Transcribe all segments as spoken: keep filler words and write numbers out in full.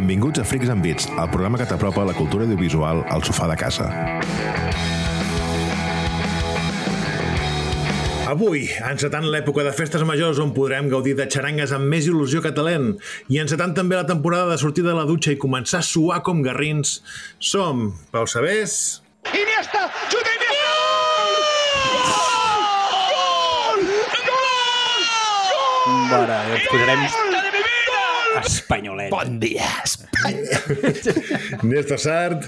Benvinguts a Freaks and Beats, el programa que t'apropa la cultura audiovisual al sofà de casa. Avui, encetant l'època de festes majors on podrem gaudir de xarangues amb més il·lusió que talent i encetant també la temporada de sortir de la dutxa i començar a suar com garrins, som Pau Sabés... Iniesta! Xuta Iniesta! Gol! Gol! Bueno, ens posarem espanyolet. Bon dia, Espanya. Néstor Sart.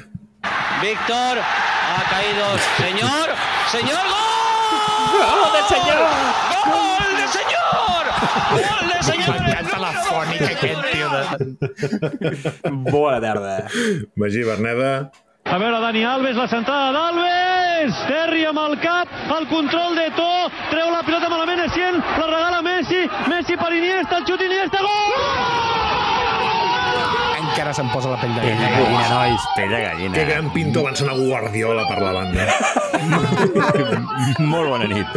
Víctor ha caído. Señor, señor, gol. Gol de senyor! Gol de señor! Gol de señor! M'encanta la fònica aquest tio de... Bona tarda. Magí Berneda. A veure, Dani Alves, la centrada d'Alves! Terri amb el cap, el control de To, treu la pilota malament, Essien, la regala Messi, Messi per Iniesta, el xut Iniesta, gol! Encara se'm posa la pell de Pell de gallina. gallina, nois, pell de gallina. Que gran pinto avançant a Guardiola per la banda. Molt bona nit.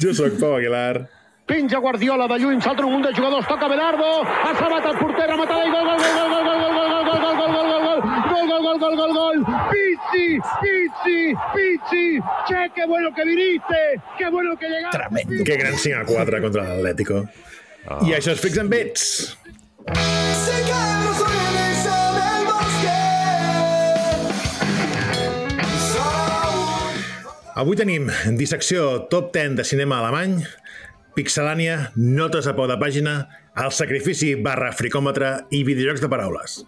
Jo sóc Pau Aguilar. Pinja Guardiola de lluny, salta un munt de jugadors, toca Belardo, ha salvat el porter, rematada i gol, gol, gol, gol, gol, gol, gol, gol, gol, gol, gol, gol, gol, gol, gol, gol, gol, gol, Pizzi, Pizzi, Pizzi, che, qué bueno que viniste, qué bueno que llegaste. Tremendo. Que gran cinc a quatre contra l'Atlético. Oh. I això és Freaks and Beats. Avui tenim dissecció top deu de cinema alemany, Pixelània, notes a peu de pàgina, el sacrifici barra fricòmetre i videojocs de paraules.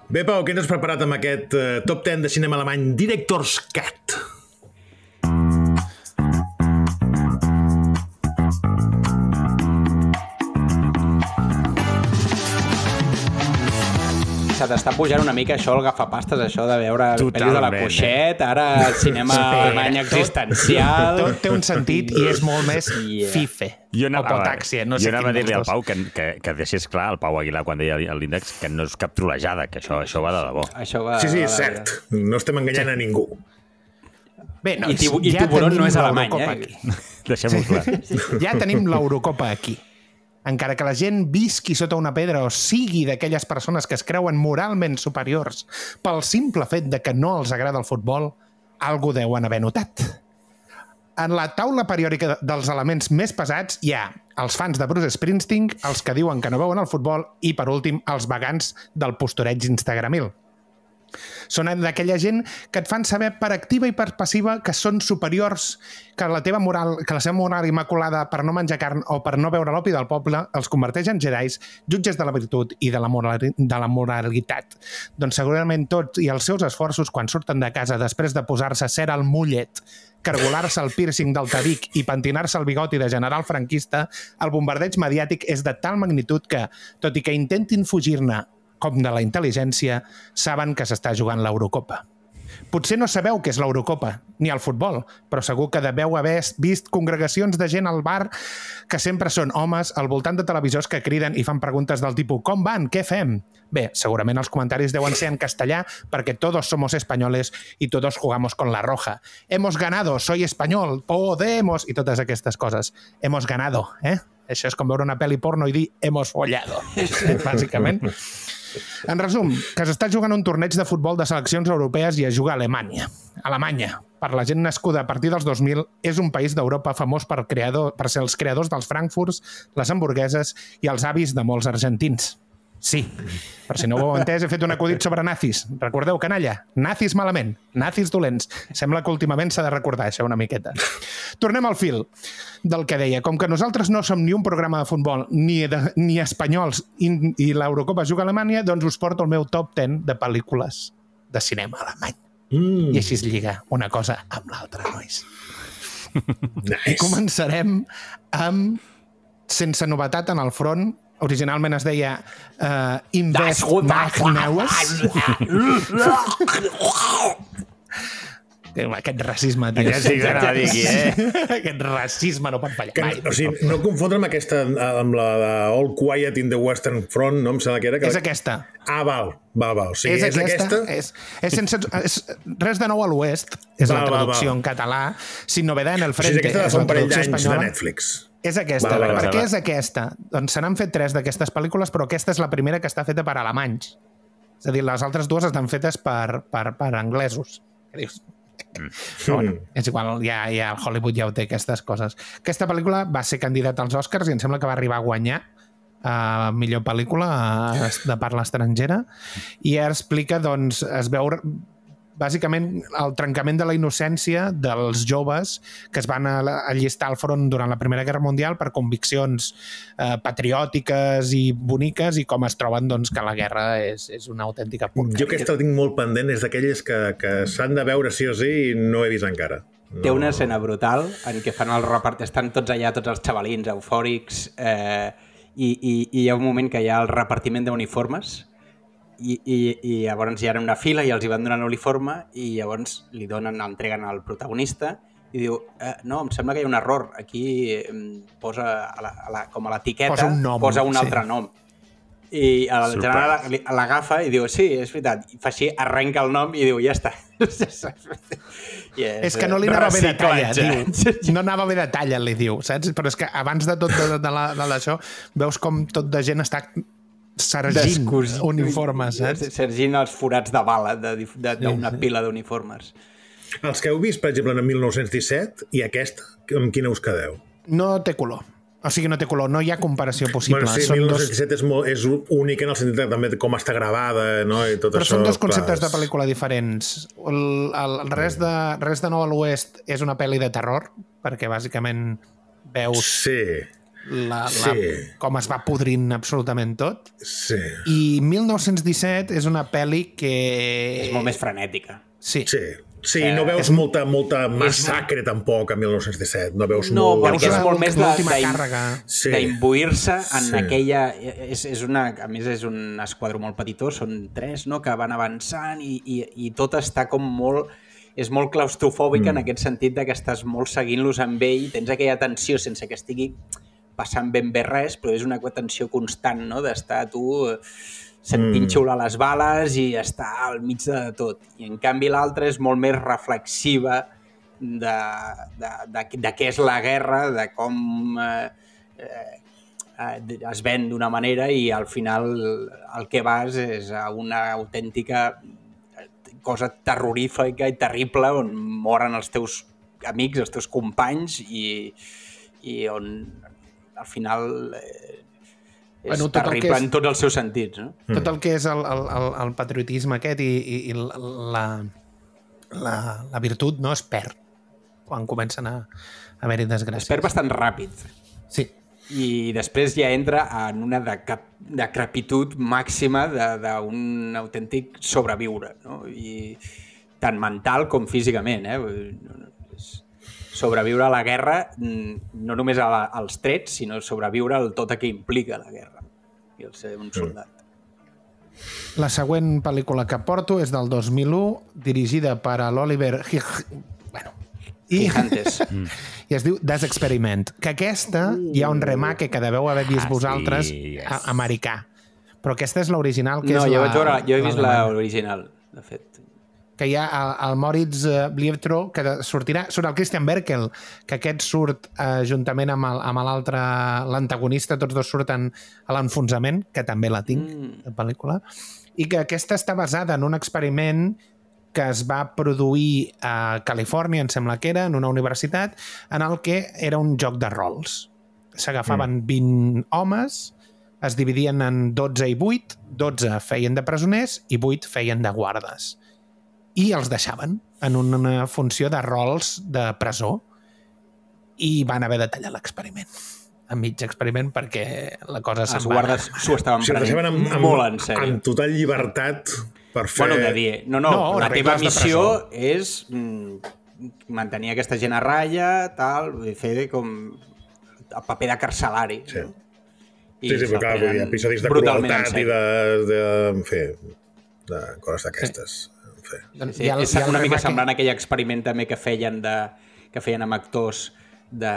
Bé, Pau, què ens has preparat amb aquest uh, top deu de cinema alemany Director's Cut? Se t'està pujant una mica això, el gafapastes, això de veure pel·lis de la Cuixet, ara el cinema alemany existencial... Tot té un sentit i és molt més Yeah. fife. Jo o anava, potàxia, no sé jo anava a quin dir-li al dels Pau dos. que, que, que deixés clar, el Pau Aguilar, quan deia l'índex, que no és cap trolejada, que això, això va de debò. Això va, Sí, sí, va, és va, cert. No estem enganyant a ningú. Bé, no, I tibu- i ja Tiburón tenim no és alemany, l'Eurocopa eh? aquí. Deixem-ho clar. Ja tenim l'Eurocopa aquí. Encara que la gent visqui sota una pedra o sigui d'aquelles persones que es creuen moralment superiors pel simple fet de que no els agrada el futbol, algú deuen haver notat. En la taula periòdica dels elements més pesats hi ha els fans de Bruce Springsteen, els que diuen que no veuen el futbol i, per últim, els vegans del postureig instagramil. Són d'aquella gent que et fan saber per activa i per passiva que són superiors, que la teva moral, que la seva moral immaculada per no menjar carn o per no beure l'opi del poble els converteix en jedis, jutges de la virtut i de la, moral, de la moralitat. Doncs segurament tots i els seus esforços quan surten de casa després de posar-se cera al mullet, cargolar-se el piercing del tabic i pentinar-se el bigoti de general franquista, el bombardeig mediàtic és de tal magnitud que, tot i que intentin fugir-ne com de la intel·ligència, saben que s'està jugant l'Eurocopa. Potser no sabeu què és l'Eurocopa, ni el futbol, però segur que deveu haver vist congregacions de gent al bar que sempre són homes al voltant de televisors que criden i fan preguntes del tipus «Com van? Què fem?» Bé, segurament els comentaris deuen ser en castellà perquè todos somos españoles y todos jugamos con la roja. Hemos ganado, soy español, podemos... i totes aquestes coses. Hemos ganado, eh? Això és com veure una pel·li porno i dir «hemos follado», bàsicament. En resum, que s'està jugant un torneig de futbol de seleccions europees i es juga a Alemanya. Alemanya, per la gent nascuda a partir dels dos mil, és un país d'Europa famós per, creador, per ser els creadors dels frankfurts, les hamburgueses i els avis de molts argentins. Sí, per si no ho heu entès, he fet un acudit sobre nazis. Recordeu, canalla? Nazis malament, nazis dolents. Sembla que últimament s'ha de recordar això una miqueta. Tornem al fil del que deia. Com que nosaltres no som ni un programa de futbol ni, de, ni espanyols i, i l'Eurocopa juga a Alemanya, doncs us porto el meu top deu de pel·lícules de cinema alemany. Mm. I així es lliga una cosa amb l'altra, nois. Nice. I començarem amb Sense novetat en el front. Originalment es deia uh, Invest Magneues. Aquest racisme, tio. Aquest sí que anava a dir aquí, eh? Aquest racisme no pot fallar Que, mai. o sigui, no confondre amb aquesta, amb la de All Quiet in the Western Front, no em sembla que era? Que És la... aquesta. Ah, val, val, val. O sigui, És, és aquesta? És, és, sense, és res de nou a l'oest, és Val, la val, traducció val. en català. Sin novedad en el O sigui, frente, aquesta de és fa la un parell traducció d'anys de espanyola. Netflix. És aquesta. Val, val, per val, què val. és aquesta? Doncs se n'han fet tres d'aquestes pel·lícules, però aquesta és la primera que està feta per alemanys. És a dir, les altres dues estan fetes per, per, per anglesos. Que dius... Mm. Però, bueno, és igual, ja, ja el Hollywood ja ho té, aquestes coses. Aquesta pel·lícula va ser candidata als Oscars i em sembla que va arribar a guanyar a millor pel·lícula de parla estrangera, i explica, doncs, es veu bàsicament el trencament de la innocència dels joves que es van allistar al front durant la Primera Guerra Mundial per conviccions eh, patriòtiques i boniques, i com es troben, doncs, que la guerra és, és una autèntica porqueria. Jo aquesta la tinc molt pendent, és d'aquelles que, que s'han de veure sí o sí i no he vist encara. No. Té una escena brutal en què fan el repart... Estan tots allà, tots els xavalins eufòrics, eh, i, i, i hi ha un moment que hi ha el repartiment d'uniformes, i, i, i llavors hi ha una fila i els hi van donant l'uniforme, i llavors li donen, entreguen al protagonista i diu, eh, no, em sembla que hi ha un error, aquí eh, posa a la, a la, com a l'etiqueta, posa un, nom, posa un sí. altre nom. I el general l'agafa i diu, sí, és veritat, i fa així, arrenca el nom i diu, ja està. I és, és que no li anava bé de talla, diu. No anava bé de talla, li diu, saps? Però és que abans de tot de, de, la, de l'això, veus com tot de gent està sergint Descus... uniformes, saps? Sergint els forats de bala d'una pila d'uniformes. Els que heu vist, per exemple, en mil nou-cents disset, i aquesta, amb quina us quedeu? No té color. O sigui, no té color, no hi ha comparació possible. Bueno, sí, són mil nou-cents disset dos... és, molt, és únic en el sentit de també com està gravada, no? I tot però això, són dos conceptes clar, de pel·lícula diferents. El, el, el res, de, res de Nou a l'Oest és una pel·li de terror, perquè bàsicament veus sí, la, la, sí. com es va podrint absolutament tot. Sí. I mil nou-cents disset és una pel·li que... És molt més frenètica. Sí. Sí. Sí, no veus és... molta, molta massacre tampoc a mil nou-cents disset. No veus no, molt... perquè és molt més d'imbuir-se en sí. aquella... És, és una, a més, és un esquadró molt petitó, són tres, no?, que van avançant i, i, i tot està com molt... És molt claustrofòbica mm. en aquest sentit de que estàs molt seguint-los amb ell, tens aquella tensió sense que estigui passant ben bé res, però és una tensió constant, no?, d'estar tu... sentint mm. xiular les bales i està al mig de tot. I en canvi l'altra és molt més reflexiva de, de, de, de què és la guerra, de com eh, eh, es ven d'una manera i al final el que vas és a una autèntica cosa terrorífica i terrible on moren els teus amics, els teus companys i, i on al final... Eh, és bueno, terrible és, en tots els seus sentits. No? Tot el que és el, el, el patriotisme aquest i, i, i la, la, la virtut no es perd quan comencen a haver-hi desgràcies. Es perd bastant ràpid. Sí. I després ja entra en una decrepitud màxima d'un autèntic sobreviure, no? I tant mental com físicament. Eh? Sobreviure a la guerra, no només a la, als trets, sinó sobreviure al tot el que implica la guerra i el ser un soldat. La següent pel·lícula que porto és del dos mil u, dirigida per l'Oliver... Bueno, i, i es diu This Experiment, que aquesta hi ha un remake que deveu haver vist ah, vosaltres sí, yes. a, americà. Però aquesta és l'original, que no, és jo la... Vaig veure, jo he vist l'original, de fet. Que hi ha el, el Moritz Bliebtro, que sortirà, surt el Christian Berkel, que aquest surt eh, juntament amb l'altre, l'antagonista, tots dos surten a l'enfonsament, que també la tinc, mm. de pel·lícula, i que aquesta està basada en un experiment que es va produir a Califòrnia, em sembla que era, en una universitat, en el que era un joc de rols. S'agafaven mm. vint homes, es dividien en dotze i vuit, dotze feien de presoners i vuit feien de guardes. I els deixaven en una funció de rols de presó i van haver de tallar l'experiment, a mig experiment, perquè la cosa se'n va... Els guardes s'ho estaven prenent amb, amb, molt en sèrio. Amb total llibertat per fer... Bueno, de dir, no, no, no la teva missió és mm, mantenir aquesta gent a ratlla, tal, fer com el paper de carcelari. Sí, no? I sí, sí però clar, vull dir, episodis de crueltat i de, de, en fi, de coses d'aquestes. Sí. Sí. Sí, sí. És una mica semblant a aquell experiment també que feien, de, que feien amb actors de,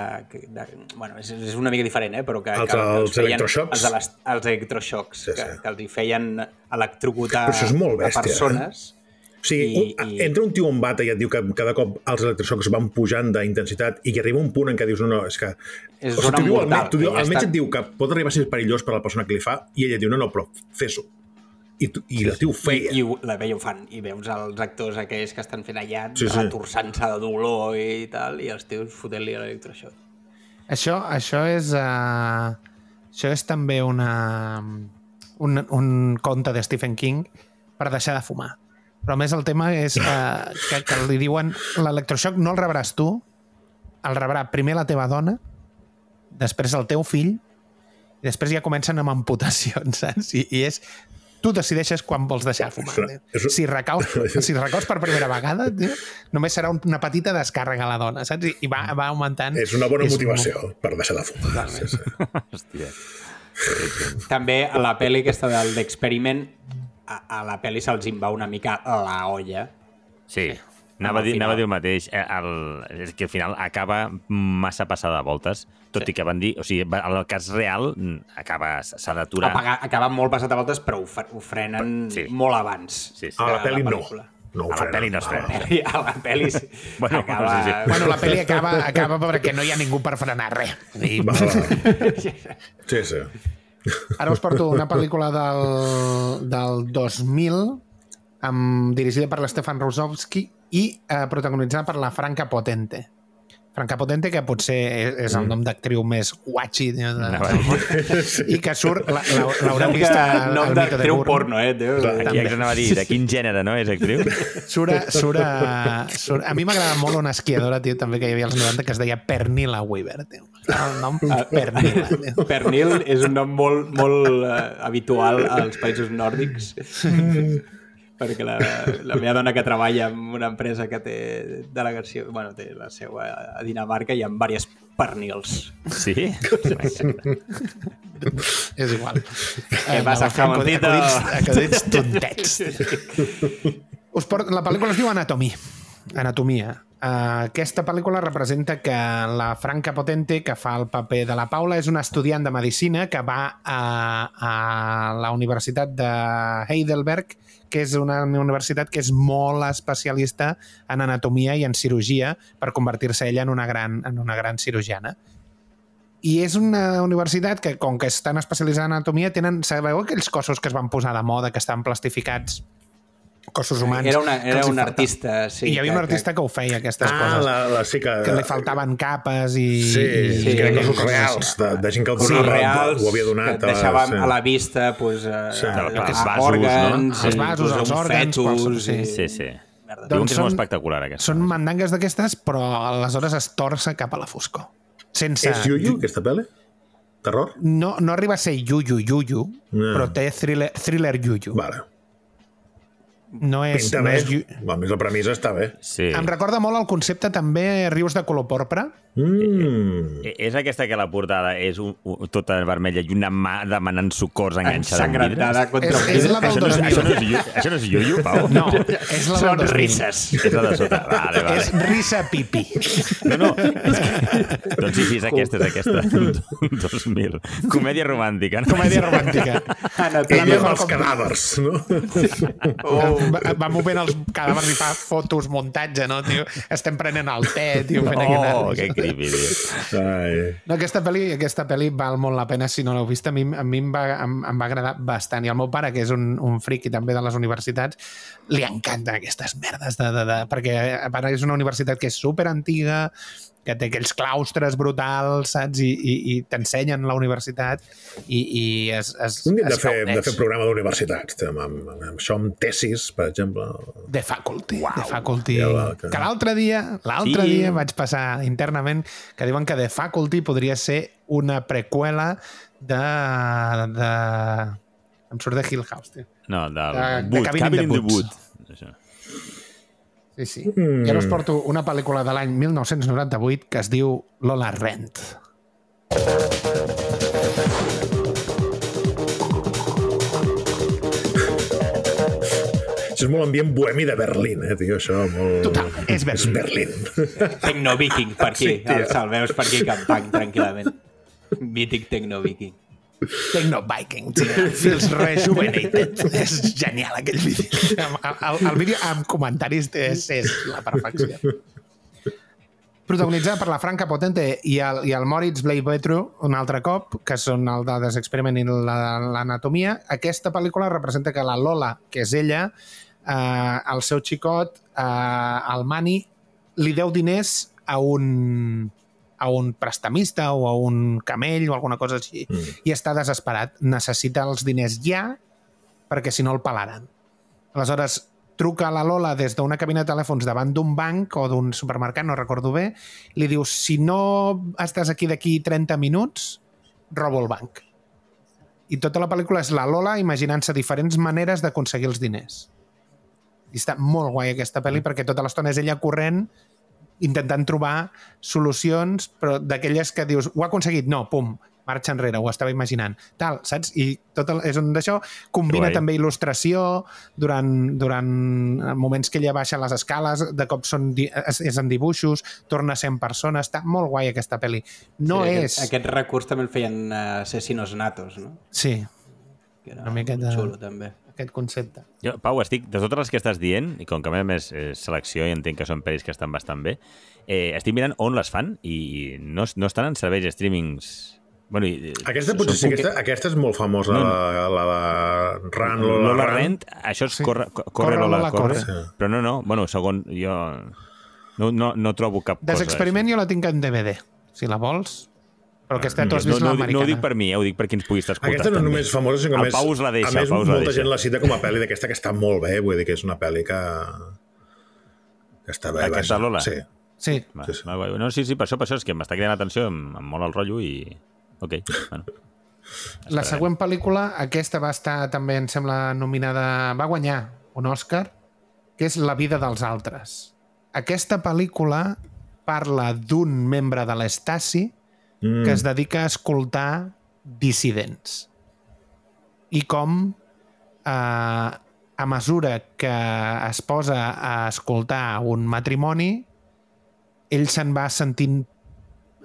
de, bueno, és, és una mica diferent, eh? Però que, els, que, que els feien, electroxocs. Els, les, els electroxocs, sí, sí. Que, que els hi feien electrocutar bèstia, a persones. Eh? O sigui, I, un, i... entra un tio en bata i et diu que cada cop els electroxocs van pujant d'intensitat i que arriba un punt en què dius, no, no, és que... És o sigui, zona mortal. El, tu diu, ja el metge està... et diu que pot arribar a ser perillós per a la persona que li fa i ella diu, no, no, però fes-ho. I, tu, i sí, el tio ho feia. I, i la veia ho fan. I veus els actors aquells que estan fent allà sí, sí. retorçant-se de dolor i tal, i els tios fotent-li l'electroxoc. Això, això és... Uh, això és també una, un, un conte de Stephen King per deixar de fumar. Però més el tema és uh, que, que li diuen l'electroxoc no el rebràs tu, el rebrà primer la teva dona, després el teu fill, i després ja comencen amb amputacions, saps? I, i és... Tu decideixes quan vols deixar de fumar. Tio. Si recaus, si recaus per primera vegada, tio, només serà una petita descàrrega a la dona, saps? I va, va augmentant. És una bona és motivació molt... per deixar de fumar. Sí, sí. Hòstia. També a la pel·li aquesta del d'Experiment, a, a la pel·li se'ls en va una mica la olla. Sí, anava a dir, anava a dir el mateix. El, és que al final acaba massa passada de voltes, tot sí. I que van dir... O sigui, el cas real acaba, s'ha d'aturar. Acaba molt passat de voltes, però ho, ho frenen sí. molt abans. Sí, sí. A la pel·li no. No, a la pel·li no es frena. A la pel·li sí. Bueno, acaba... sí, sí. Bueno, la pel·li acaba, acaba perquè no hi ha ningú per frenar res. I... Va, va. Sí, sí. Ara us porto una pel·lícula del, del dos mil amb, dirigida per l'Stefan Rosowski i eh, protagonitzada per la Franca Potente. Franca Potente, que potser és, és el nom d'actriu més guatxi de, de, de, i que surt, l'haureu vist al, nom al Mito de d'actriu Burn. porno, eh? Déu, ja que anava a dir, de quin gènere, no, és actriu? Surt, a, surt, a, surt a mi m'agrada molt una esquiadora, tio, també que hi havia als noranta, que es deia Pernilla Weaver, tio. El nom Pernilla. Tio. Pernil és un nom molt, molt uh, habitual als països nòrdics. Perquè la, la meva dona que treballa en una empresa que té delegació, bueno, té la seu a Dinamarca i amb diverses pernils. Sí? És igual. Què passa, jamoncito? Acudits tontets. Us port... La pel·lícula es diu Anatomia. Anatomia. Uh, aquesta pel·lícula representa que la Franca Potente, que fa el paper de la Paula, és una estudiant de medicina que va a, a la Universitat de Heidelberg, que és una universitat que és molt especialista en anatomia i en cirurgia per convertir-se ella en una gran, en una gran cirurgiana. I és una universitat que, com que estan especialitzada en anatomia, tenen, sabeu aquells cossos que es van posar de moda, que estan plastificats, cossos humans. Era, una, era un artista, sí. I hi havia un artista que, que ho feia, aquestes ah, coses. La, la, sí que... que li faltaven capes i... Sí, i, sí, i eren cossos reals, de, de gent que el donava, sí, reals, ho havia donat. Que deixàvem sí. a la vista pues, sí. uh, els vasos, òrgans, no? Els vasos, els òrgans... Fetus, sí, sí. sí. Merda. Diuen que és molt espectacular, aquesta. Són mandangues d'aquestes, però aleshores es torça cap a la foscor. Sense... És Yuyu, aquesta pel·li? Terror? No, no arriba a ser Yuyu, Yuyu, no. Però té thriller, thriller Yuyu. Vale. No és... Pinta no bé. és yu... A més, la premissa està bé. Sí. Em recorda molt el concepte també Rius de color porpra. Mm. És aquesta que la portada és un, un, tota vermella i una mà demanant socors enganxada en Ensangrentada vidres. contra És, és la del Això no és, dos mil. això no és, yu- això no és Yuyu, Pau? No, és la del Són dos mil. risses. És la de sota. Vale, vale. És risa pipi. No, no. És que... Doncs sí, sí, és aquesta, és aquesta. dos mil. Comèdia romàntica. No? Comèdia romàntica. Ella amb els cadàvers, no? Oh. Va, va movent els cadàvers i fa fotos, muntatge, no, tio? Estem prenent el te, tio, fent Oh, aquest... que creepy, tio. Ai. No, aquesta pel·li, aquesta pel·li val molt la pena si no l'heu vist. A mi, a mi em, va, em, em va agradar bastant. I el meu pare, que és un, un friqui també de les universitats, li encanten aquestes merdes. De, de, de, perquè a part és una universitat que és superantiga, que té aquells claustres brutals, saps? I, i, i t'ensenyen la universitat i, i es, es, Un dia de es fer, gaudeix. de fer programa d'universitats, amb, amb, amb això amb tesis, per exemple. The Faculty. Wow. The Faculty. Ja va, que... que l'altre dia, l'altre Sí. dia vaig passar internament que diuen que The Faculty podria ser una preqüela de... de... Em surt de Hill House, tio. No, del De- de Wood, Cabin in Cabin the in the Woods. Wood. Això. Sí, sí. Mm. I ara us porto una pel·lícula de l'any mil nou-cents noranta-vuit que es diu Lola Rent. Això és molt ambient bohemi de Berlín, eh, tio, això, molt... Total, és Berlín. Berlín. Tecno-viking, per aquí. Sí, tio. El salveus per aquí cantant tranquil·lament. Mític Tecno-viking. Tecno-Viking, tio. Feels rejuvenated. És genial aquell vídeo. El, el, el vídeo amb comentaris és, és la perfecció. Protagonitzada per la Franca Potente i el, i el Moritz Bleibtreu un altre cop, que són el de The Experiment i l'Anatomia. Aquesta pel·lícula representa que la Lola, que és ella, eh, el seu xicot, eh, el Mani, li deu diners a un... a un prestamista o a un camell o alguna cosa així, mm. i està desesperat. Necessita els diners ja perquè si no el pelaran. Aleshores, truca a la Lola des d'una cabina de telèfons davant d'un banc o d'un supermercat, no recordo bé, li diu, si no estàs aquí d'aquí trenta minuts, robo el banc. I tota la pel·lícula és la Lola imaginant-se diferents maneres d'aconseguir els diners. I està molt guai aquesta pel·li perquè tota l'estona és ella corrent intentant trobar solucions, però d'aquelles que dius, ho ha aconseguit? No, pum, marxa enrere, ho estava imaginant. Tal, saps? I tot el, és un d'això. Combina també il·lustració durant, durant moments que ella baixa les escales, de cop són, és, és en dibuixos, torna a ser en persona. Està molt guai aquesta pel·li. No sí, és... Aquest, aquest recurs també el feien uh, Asesinos Natos, no? Sí. Que era una miqueta... xulo, també. Aquest concepte. Jo, Pau, estic, de totes les que estàs dient, i com que a més és selecció i entenc que són pel·lis que estan bastant bé, eh, estic mirant on les fan i no, no estan en serveis de streamings... Bueno, i, aquesta potser sí, aquesta, aquesta és molt famosa, no, la, la de Run, Lola, Lola Run. Rent, això és sí. corre, corre, corre Lola, Lola, corre. corre. Sí. Però no, no, bueno, segon, jo no, no, no trobo cap cosa. Desexperiment jo la tinc en D V D, si la vols. Però aquesta tu has vist no, no, l'americana. no ho dic per mi, eh? Ho dic per qui ens pugui estar escoltant. Aquesta no també. només famosa, sinó que el Pau us la deixa, a més el Pau us la molta deixa. gent la cita com a pel·li d'aquesta que està molt bé, vull dir que és una pel·li que, que està bé. Aquesta vaja. Lola? Sí. Sí. Va, Sí, sí. va, no, sí, sí, per això, per això és que m'està cridant l'atenció, em, em mola el rotllo i... Ok, bueno. La següent pel·lícula, aquesta va estar també, em sembla, nominada... Va guanyar un Òscar, que és La vida dels altres. Aquesta pel·lícula parla d'un membre de l'Stasi mm. que es dedica a escoltar dissidents. I com, eh, a mesura que es posa a escoltar un matrimoni, ell se'n va sentint...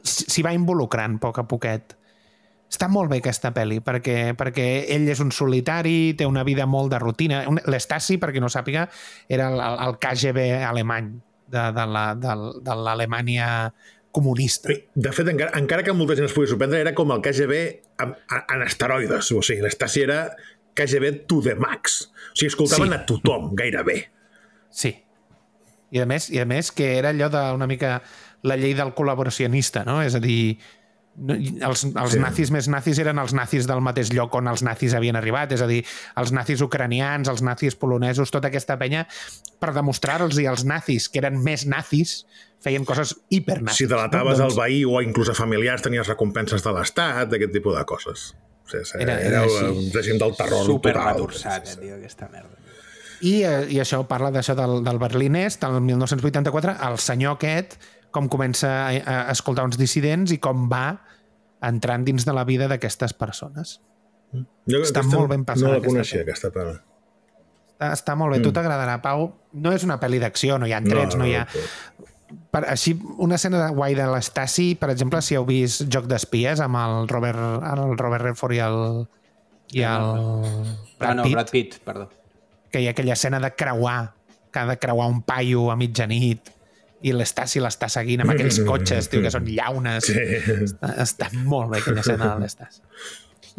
s'hi va involucrant a poc a poquet. Està molt bé aquesta pel·li, perquè, perquè ell és un solitari, té una vida molt de rutina. L'Stasi, per qui no sàpiga, era el, el K G B alemany, de, de la, de, de l'Alemanya comunista. De fet, encara, encara que molta gent es pugui sorprendre, era com el K G B en, en esteroides. O sigui, l'Stasi era K G B to the max. O sigui, escoltaven sí. a tothom, gairebé. Sí. I a més, i a més que era allò d'una mica la llei del col·laboracionista, no? És a dir, els, els sí. nazis més nazis eren els nazis del mateix lloc on els nazis havien arribat, és a dir, els nazis ucranians, els nazis polonesos, tota aquesta penya, per demostrar-los i els nazis, que eren més nazis, feien coses hipernazis. Si delataves no? doncs... el veí o inclús a familiars tenies recompenses de l'Estat, aquest tipus de coses. Sí, sí, era, era, era un règim del terror super total. Superretorsat, sí, sí. tio, aquesta merda. I, i això parla d'això del, del Berlín Est, el mil nou-cents vuitanta-quatre, el senyor aquest, com comença a, a escoltar uns dissidents i com va entrant dins de la vida d'aquestes persones. Jo, està aquesta, molt ben passada. No la coneixia, aquesta pel·li. Està, està molt bé, mm. tu t'agradarà, Pau. No és una pel·li d'acció, no hi ha trets, no, no hi ha... Per, així, una escena de guai de l'Stasi, per exemple, si heu vist Joc d'espies amb el Robert, el Robert Redford i el, i el Brad ah, no, Pitt, Brad Pitt, perdó. Que hi ha aquella escena de creuar, que ha de creuar un paio a mitjanit i l'Stasi l'està seguint amb aquells cotxes, tio, que són llaunes. Sí. Està, està molt bé aquella escena de l'Stasi.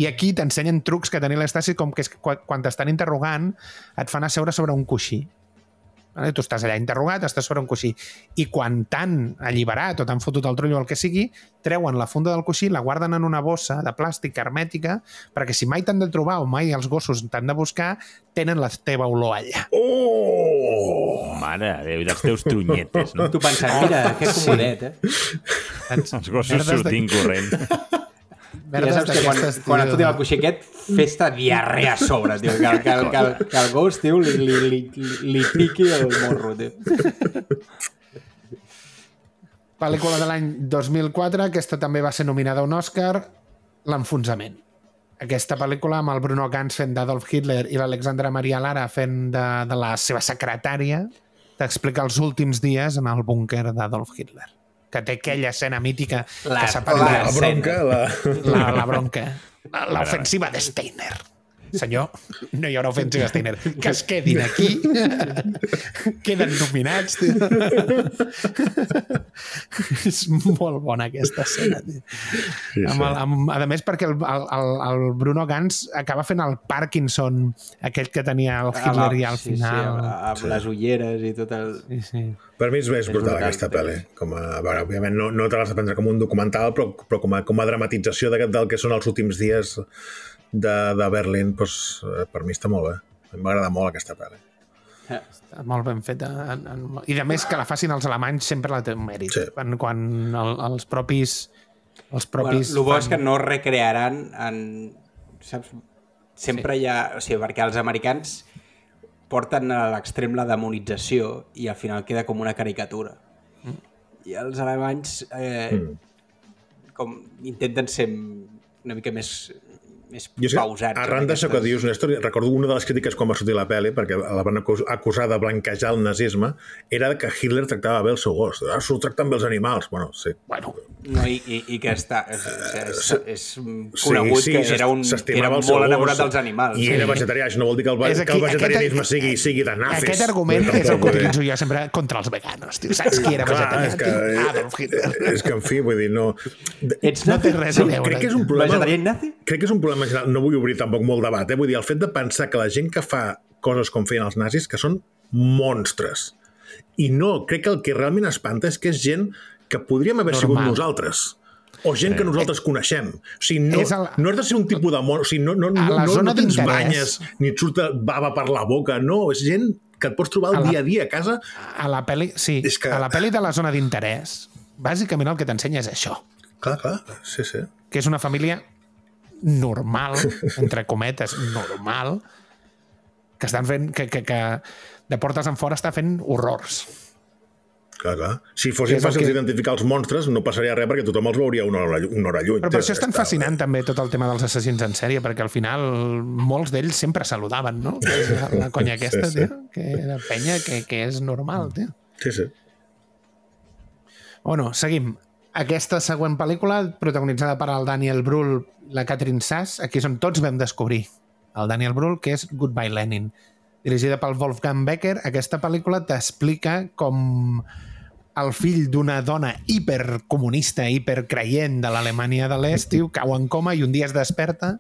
I aquí t'ensenyen trucs que tenia l'Stasi, com que és que quan t'estan interrogant et fan asseure sobre un coixí. Tu estàs allà interrogat, estàs sobre un coixí. I quan t'han alliberat o t'han fotut el trullo o el que sigui, treuen la funda del coixí, la guarden en una bossa de plàstic hermètica, perquè si mai t'han de trobar o mai els gossos t'han de buscar, tenen la teva olor allà. Oh! Mare de Déu, dels teus trunyetes, no? Tu penses, mira, que comodet, eh? Els gossos sortint de... corrent. Ja saps que quan, quan et fotin el coixí aquest, fes-te diarrea a sobre, tio, que, que, que, que, que el gos, tio, li, li, li, li piqui el morro, tio. Pel·lícula de l'any dos mil quatre, aquesta també va ser nominada a un Òscar, L'enfonsament. aquesta pel·lícula amb el Bruno Ganz fent d'Adolf Hitler i l'Alexandra Maria Lara fent de, de la seva secretària, t'explica els últims dies en el búnquer d'Adolf Hitler, que té aquella escena mítica La- que s'ha la- parlat. La bronca, la... La, la bronca. L'ofensiva de Steiner. Senyor, no hi haurà ofensiva de Steiner. Que es quedin aquí. Queden nominats. Tio. És molt bona aquesta escena. Tio. Sí, Amb el, amb, a més, perquè el, el, el Bruno Ganz acaba fent el Parkinson, aquell que tenia el Hitler i al sí, final... Sí, amb, amb sí. les ulleres i tot el... Sí, sí. Per mi és més brutal brutal, aquesta sí. pel·li. Com a, a veure, òbviament no, no te l'has de prendre com un documental, però, però com, a, com a dramatització de, del que són els últims dies de, de Berlín, doncs, per mi està molt bé. M'agrada molt aquesta pel·li. Està molt ben feta. En, en, I de més que la facin els alemanys sempre la té un mèrit. Sí. Quan, quan el, els propis... Els propis Bueno, el bo fan- és que no recrearan en... Saps? Sempre sí. hi ha... O sigui, perquè els americans porten a l'extrem la demonització i al final queda com una caricatura. Mm. I els alemanys eh, mm. com intenten ser una mica més, més Jo és que, pausats. arran d'això que dius, Néstor, recordo una de les crítiques quan va sortir la pel·li, perquè la van acus- acusar de blanquejar el nazisme, era que Hitler tractava bé el seu gos. Ah, s'ho tracten bé els animals. Bueno, sí. Bueno, No, i, i, i que està, és, és, és conegut sí, sí, que era un que era s'estimava el seu molt gos enamorat dels animals. i sí. era vegetarià. Això no vol dir que el, És aquí- que el vegetarianisme aquest- sigui, sigui de nazis. aquest argument Però és el que tampoc, utilitzo jo sempre contra els veganos. Tio. Saps qui era Clar, vegetarià? és que, Tio? Adolf Hitler. és que, en fi, vull dir, no... Ets No té res a veure. Crec que és un problema... vegetarià i nazi? Crec que és un problema general. No vull obrir tampoc molt debat, eh? Vull dir, el fet de pensar que la gent que fa coses com feien els nazis, que són monstres. I no, crec que el que realment espanta és que és gent que podríem haver Normal. sigut nosaltres. O gent que nosaltres coneixem. O sigui, no, És el- no has de ser un tipus de món... O sigui, no, no, no, A la no, zona no tens d'interès. banyes, ni et surt bava per la boca. No, és gent que et pots trobar el A la- dia a dia a casa. A la peli, sí, És que- a la peli de la zona d'interès, bàsicament el que t'ensenya és això, Clar, clar, sí, sí. que és una família normal, entre cometes, normal, que estan fent, que, que, que de portes en fora està fent horrors. Clar, clar. Si fossin És el fàcils que- d'identificar els monstres, no passaria res perquè tothom els veuria una hora, una hora lluny. Però per això és tan Està- fascinant també tot el tema dels assassins en sèrie, perquè al final molts d'ells sempre saludaven, no? Que és la, la conya aquesta, Sí, sí. tio, que era penya, que, que és normal, tio. Sí, sí. Bueno, seguim. Aquesta següent pel·lícula, protagonitzada per el Daniel Brühl, la Catherine Sass, aquí és on tots vam descobrir el Daniel Brühl, que és Goodbye Lenin. Dirigida pel Wolfgang Becker, aquesta pel·lícula t'explica com el fill d'una dona hipercomunista, hipercreient de l'Alemanya de l'Est, tio, cau en coma i un dia es desperta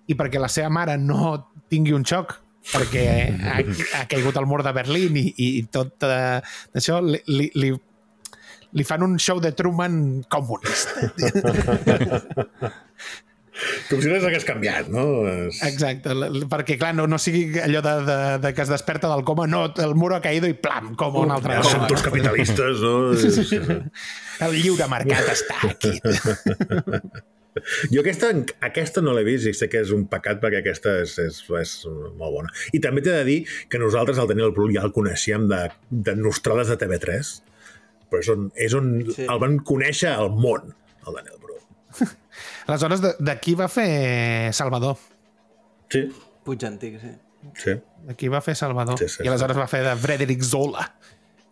i perquè la seva mare no tingui un xoc perquè ha, ha caigut al mur de Berlín i, i tot eh, això, li, li, li, li fan un show de Truman comunista. Com si res hagués canviat, no? És... Exacte, l- l- perquè clar, no, no sigui allò de, de, de que es desperta del coma, no, el muro ha caído i plam, com un altre. Ja són tots capitalistes, no? Sí, sí, sí. El lliure mercat està aquí. Jo aquesta, aquesta no l'he vist i sé que és un pecat perquè aquesta és, és, és molt bona. I també t'he de dir que nosaltres el Daniel Brühl ja el coneixíem de, de Nostrades de T V tres, però és on, és on Sí. el van conèixer al món, el Daniel Brühl. Aleshores, de- d'aquí va fer Salvador. Sí, Puig antic, sí. sí. D'aquí va fer Salvador. Sí, sí, I aleshores va fer de Frederick Zola.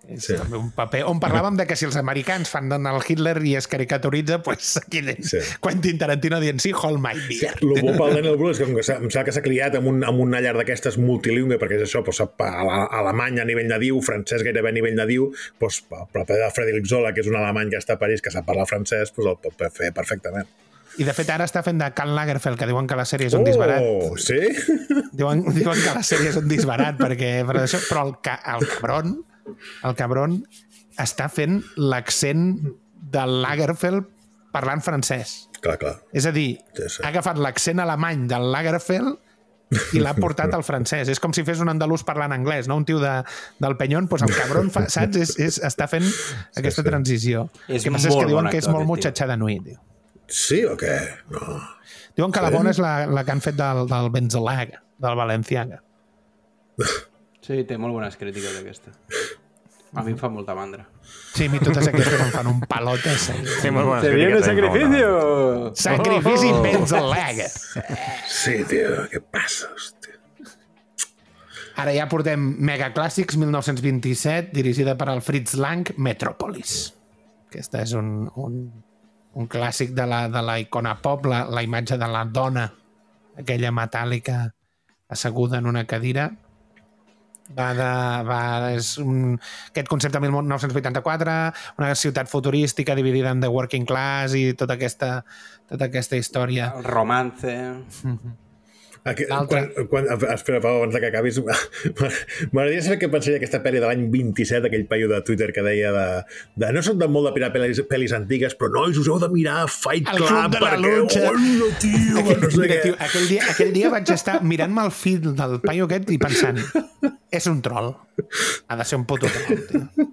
És Sí. també un paper on parlàvem de que si els americans fan el Hitler i es caricaturitza, pues aquí Sí. Quentin Tarantino dient sí, hold my beer. El bo pel Daniel Brühl és que, com que s'ha- em sembla que s'ha criat amb, un, amb una llar d'aquestes multilingüe, perquè és això, doncs, sap ale- alemany a nivell nadiu, francès gairebé a nivell nadiu, doncs, el paper de Frederick Zola, que és un alemany que està a París, que sap parlar francès, doncs el pot fer perfectament. I de fet ara està fent de Karl Lagerfeld, que diuen que la sèrie és un disbarat. Oh, sí? Diuen, diuen que la sèrie és un disbarat, perquè, per això, però el, ca, el cabron, el cabron està fent l'accent de Lagerfeld parlant francès. Clar, clar. És a dir, Sí, sí. ha agafat l'accent alemany del Lagerfeld i l'ha portat al francès. És com si fes un andalús parlant anglès, no? Un tio de, del Penyón, doncs el cabron, fa, saps? És, és, està fent aquesta sí. transició. És El que passa és molt que diuen bon que és actor, molt aquest mutxatxà de nuit. Tio. Sí o què? No. Diuen que la Sí? bona és la, la que han fet del, del Benzolaga, del Valenciaga. Sí, té molt bones crítiques aquesta. A mi em fa molta mandra. Sí, a mi totes aquestes em fan un palot. Sí, molt bones ¡Se viene crítiques, també, sacrificio! Sacrifici oh. Benzaleg. Sí, tio, què passa, hòstia? Ara ja portem Megaclàssics mil nou-cents vint-i-set, dirigida per el Fritz Lang, Metropolis. Aquesta és un, un, un clàssic de la, de la icona pop, la, la imatge de la dona, aquella metàl·lica asseguda en una cadira. Va de, va, és un, aquest concepte mil nou-cents vuitanta-quatre, una ciutat futurística dividida en The Working Class i tota aquesta, tota aquesta història. El romance... Mm-hmm. Aquí, quan, quan, espera, Pau, abans que acabis, m'agradaria saber què pensaria aquesta pel·li de l'any vint-i-set, aquell paio de Twitter que deia de, de no soc de molt de mirar pel·lis, pel·lis antigues, però nois, us heu de mirar Fight El Club, Club de la perquè... Lucha. Hola, tio, Aquell, no sé mira, què. tio, aquell, dia, aquell dia vaig estar mirant-me el fil del paio aquest i pensant, és un troll. Ha de ser un puto troll, tio.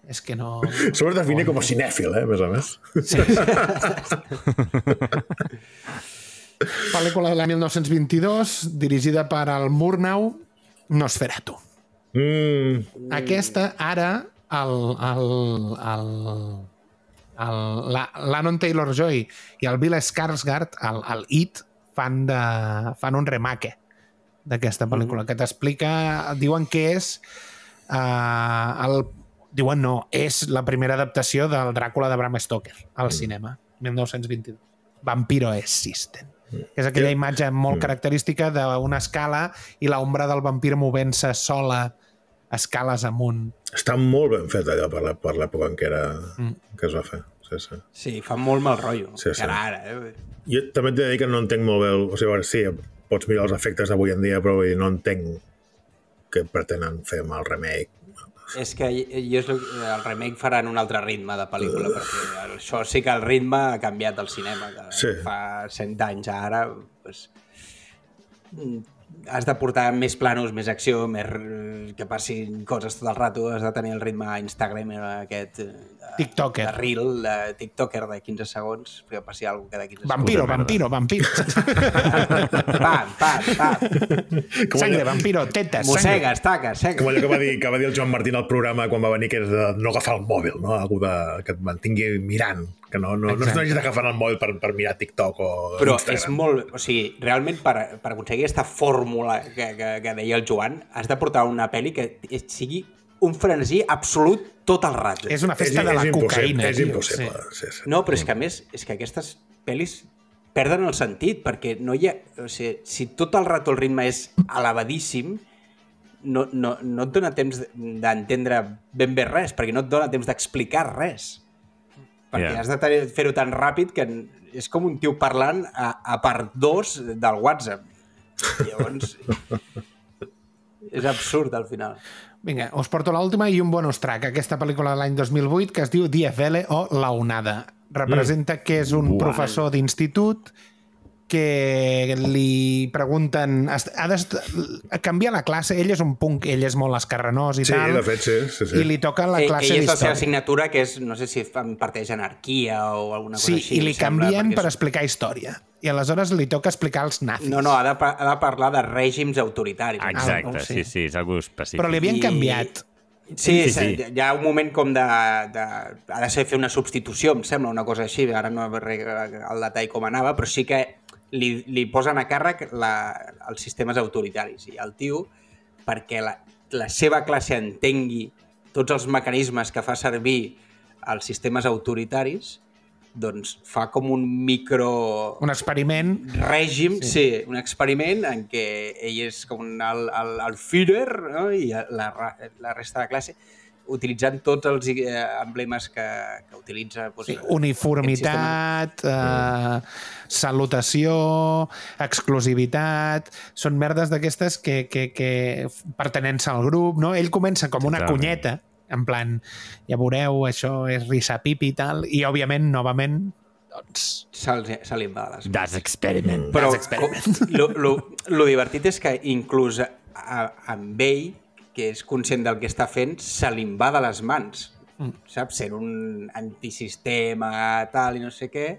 És que no... Sobre definir com a cinèfil, eh, més a més. Sí. Pel·lícula de la mil nou-cents vint-i-dos, dirigida per el Murnau, Nosferatu. Mm. Aquesta, ara, el, el, el, el, la, l'Anon Taylor-Joy i el Bill Skarsgård, el, el It, fan, de, fan un remake d'aquesta pel·lícula, que t'explica, diuen que és uh, el, diuen no, és la primera adaptació del Dràcula de Bram Stoker al cinema, mil nou-cents vint-i-dos. Vampiro Existent. Que és aquella imatge molt característica d'una escala i l'ombra del vampir movent-se sola escales amunt. Està molt ben fet allò per l'època en què, era, mm. que es va fer. Sí, sí. Sí, fa molt mal rotllo. Sí, sí. Ara, ara, eh? Jo també t'he de dir que no entenc molt bé... El, o sigui, veure, sí, pots mirar els efectes d'avui en dia, però no entenc què pretenen fer amb el remake. És que jo, el remake farà en un altre ritme de pel·lícula, perquè això sí que el ritme ha canviat al cinema, que sí. fa cent anys ara, pues, has de portar més planos, més acció, més que passin coses tot el rato, has de tenir el ritme Instagram aquest de, TikToker. de reel, de TikToker de quinze segons, que passi alguna cosa cada quinze vampiro, segons. Vampiro, vampiro, vampiro. Pam, pam, pam. Sangre, vampiro, tetes, Mossega, sangre. estaca, seca. Com allò que va dir, que va dir el Joan Martín al programa quan va venir, que és de no agafar el mòbil, no? Algú de, que et mantingui mirant, que no, no, no hagis d'agafar el mòbil per, per mirar TikTok o Però Instagram. és molt... O sigui, realment per, per aconseguir aquesta fórmula que, que, que deia el Joan, has de portar una pel·li que sigui un frenesí absolut tot el rato. És una festa és, de la és cocaïna. És tio. impossible. Sí. Sí, sí. No, però és que a més, és que aquestes pel·lis perden el sentit, perquè no hi ha... O sigui, si tot el rato el ritme és elevadíssim, no, no, no et dona temps d'entendre ben bé res, perquè no et dona temps d'explicar res. Perquè yeah. has de fer-ho tan ràpid que és com un tio parlant a, a part dos del WhatsApp. Llavors, és absurd al final. Vinga, us porto l'última i un bonus track. Aquesta pel·lícula de l'any dos mil vuit que es diu Die Welle o La Onada. Representa mm. que és un Uau. professor d'institut que li pregunten... Ha de canviar la classe. Ell és un punk, ell és molt escarrenós i sí, tal. De fet, sí, sí, sí. I li toca la classe d'història. Ell és la seva assignatura, que és, no sé si imparteix anarquia o alguna cosa sí, així. Sí, i li canvien per és... explicar història. I aleshores li toca explicar els nazis. No, no, ha de, ha de parlar de règims autoritaris. Exacte, ah, sí, sí, és algo específic. Però li havien I... canviat. Sí, sí, sí, sí, hi ha un moment com de, de... Ha de ser fer una substitució, em sembla, una cosa així. Ara no el detall com anava, però sí que li, li posen a càrrec la, els sistemes autoritaris. I el tio, perquè la, la seva classe entengui tots els mecanismes que fa servir els sistemes autoritaris, doncs fa com un micro... Un experiment. Règim, sí, sí un experiment en què ell és com el, el, el Führer, no? I la, la resta de la classe, utilitzant tots els eh, emblemes que, que utilitza... Doncs, sí, uniformitat, eh, salutació, exclusivitat... Són merdes d'aquestes que, que, que pertenença al grup, no? Ell comença com una Totalment. cunyeta, en plan, ja veureu, això és risapipi i tal, i òbviament, novament, doncs... Se li en va de les mans. Das experiment. Però Das experiment. Lo, lo, lo divertit és que inclús a, a, amb ell, que és conscient del que està fent, se li en va de les mans. Mm. Saps? Sent un antisistema, tal, i no sé què,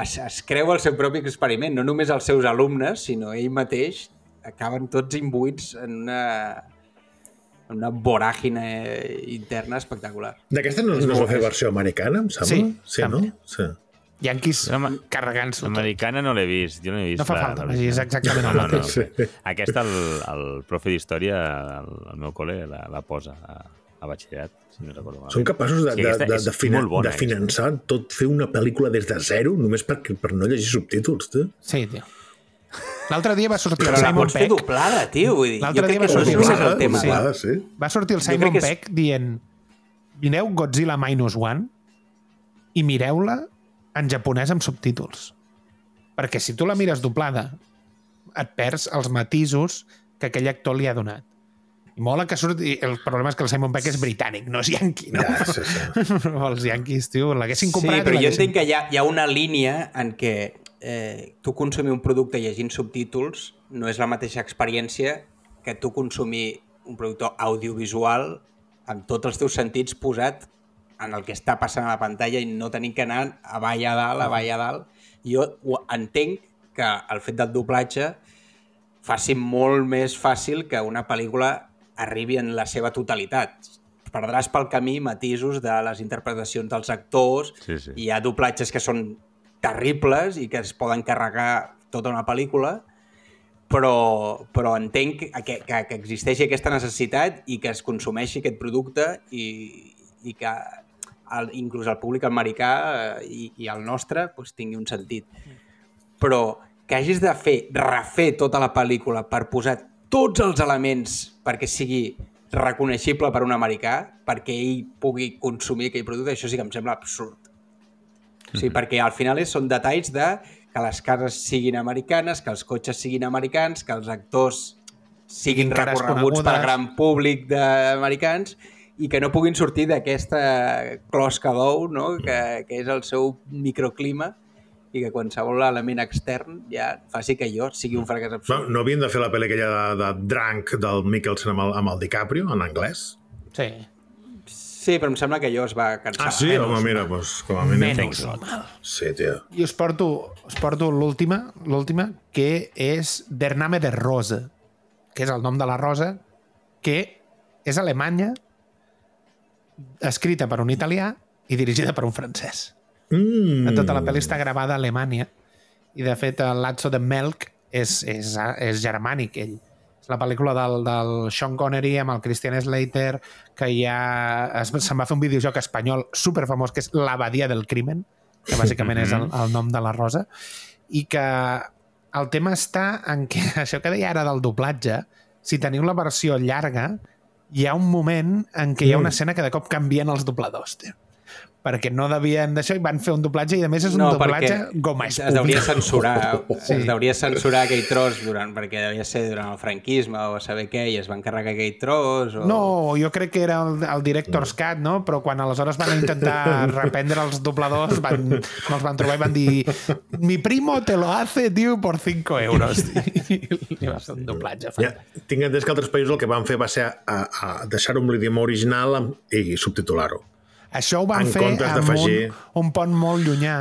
es, es creu el seu propi experiment. No només els seus alumnes, sinó ell mateix, acaben tots imbuïts en una... una voràgine interna espectacular. D'aquesta no, no es va fer versió americana, em sembla? Sí, sí també. no? Sí. Yankees Home, carregant-s'ho tot. L'americana no l'he vist, jo no he vist. No fa la- falta, la és exactament el no, no, mateix. no. Aquesta, el, el profe d'història, al, al meu col·le, la, la posa a, a batxillerat, si no recordo malament. Són capaços de, Sí, de, aquesta de, és de, fina, molt bona, de finançar tot, fer una pel·lícula des de zero, només per, per no llegir subtítols, tu. Sí, tio. L'altre dia va sortir Però el la Simon pots fer Pegg. doblada, tio. Vull dir, L'altre jo dia crec va que no és sortir només doblada, el tema. doblada, de... sí. Va sortir el Jo Simon crec que és- Pegg dient mireu Godzilla Minus One i mireu-la en japonès amb subtítols. Perquè si tu la mires doblada et perds els matisos que aquell actor li ha donat. I mola que surti... El problema és que el Simon Pegg és britànic, no és yanqui, no? Ja, sí, sí. Però els yanquis, tio, l'haguessin Sí, comprat... i però jo l'haguessin- entenc que hi ha, hi ha una línia en què eh, tu consumir un producte llegint subtítols no és la mateixa experiència que tu consumir un producte audiovisual amb tots els teus sentits posat en el que està passant a la pantalla i no tenint que anar avall a dalt, avall a dalt. Jo ho entenc que el fet del doblatge faci molt més fàcil que una pel·lícula arribi en la seva totalitat. Perdràs pel camí matisos de les interpretacions dels actors, Sí, sí. hi ha doblatges que són terribles i que es poden carregar tota una pel·lícula, però, però entenc que, que, que existeixi aquesta necessitat i que es consumeixi aquest producte i, i que el, inclús el públic americà eh, i, i el nostre pues, tingui un sentit. Però que hagis de fer, refer tota la pel·lícula per posar tots els elements perquè sigui reconeixible per un americà, perquè ell pugui consumir aquell producte, això sí que em sembla absurd. O sigui, perquè al final és, són detalls de que les cases siguin americanes, que els cotxes siguin americans, que els actors siguin cares recorreguts conegudes. pel gran públic d'americans i que no puguin sortir d'aquesta closca d'ou, no? que, que és el seu microclima i que qualsevol element extern ja faci que jo sigui un fracàs No, absolut. no havien de fer la pel·li aquella de, de Drunk del Mikkelsen amb el, amb el DiCaprio, en anglès? Sí. Sí, però em sembla que allò es va cansar. Ah, sí? Home, mira, doncs, com a mínim... Menys mal. Sí, tio. I us porto, us porto l'última, l'última, que és Der Name der Rose, que és el nom de la rosa, que és alemanya, escrita per un italià i dirigida per un francès. Mm. Tota la pel·li està gravada a Alemanya i, de fet, el Lazzo de Melk és, és, és germànic, ell. És la pel·lícula del, del Sean Connery amb el Christian Slater, que ja es, se'n va fer un videojoc espanyol superfamós, que és L'Abadia del Crimen, que bàsicament és el, el nom de la rosa, i que el tema està en que, això que deia ara del doblatge, si teniu la versió llarga, hi ha un moment en què hi ha una escena que de cop canvien els dobladors, tio. Perquè no devien d'això i van fer un doblatge i a més és un No, doblatge perquè goma es espuma. deuria censurar, Sí. es deuria censurar aquell tros durant, perquè devia ser durant el franquisme o saber què, i es van carregar aquell tros o... No, jo crec que era el, el Director's Cut, no? Però quan aleshores van intentar reprendre els dobladors, van, no els van trobar i van dir mi primo te lo hace, tio, por cinco euros. I va ser un doblatge. Ja, tinc entès que altres països el que van fer va ser a, a deixar-ho amb l'idioma original amb, i subtitular-ho. Això ho van En fer comptes amb un, d'afegir- un pont molt llunyà.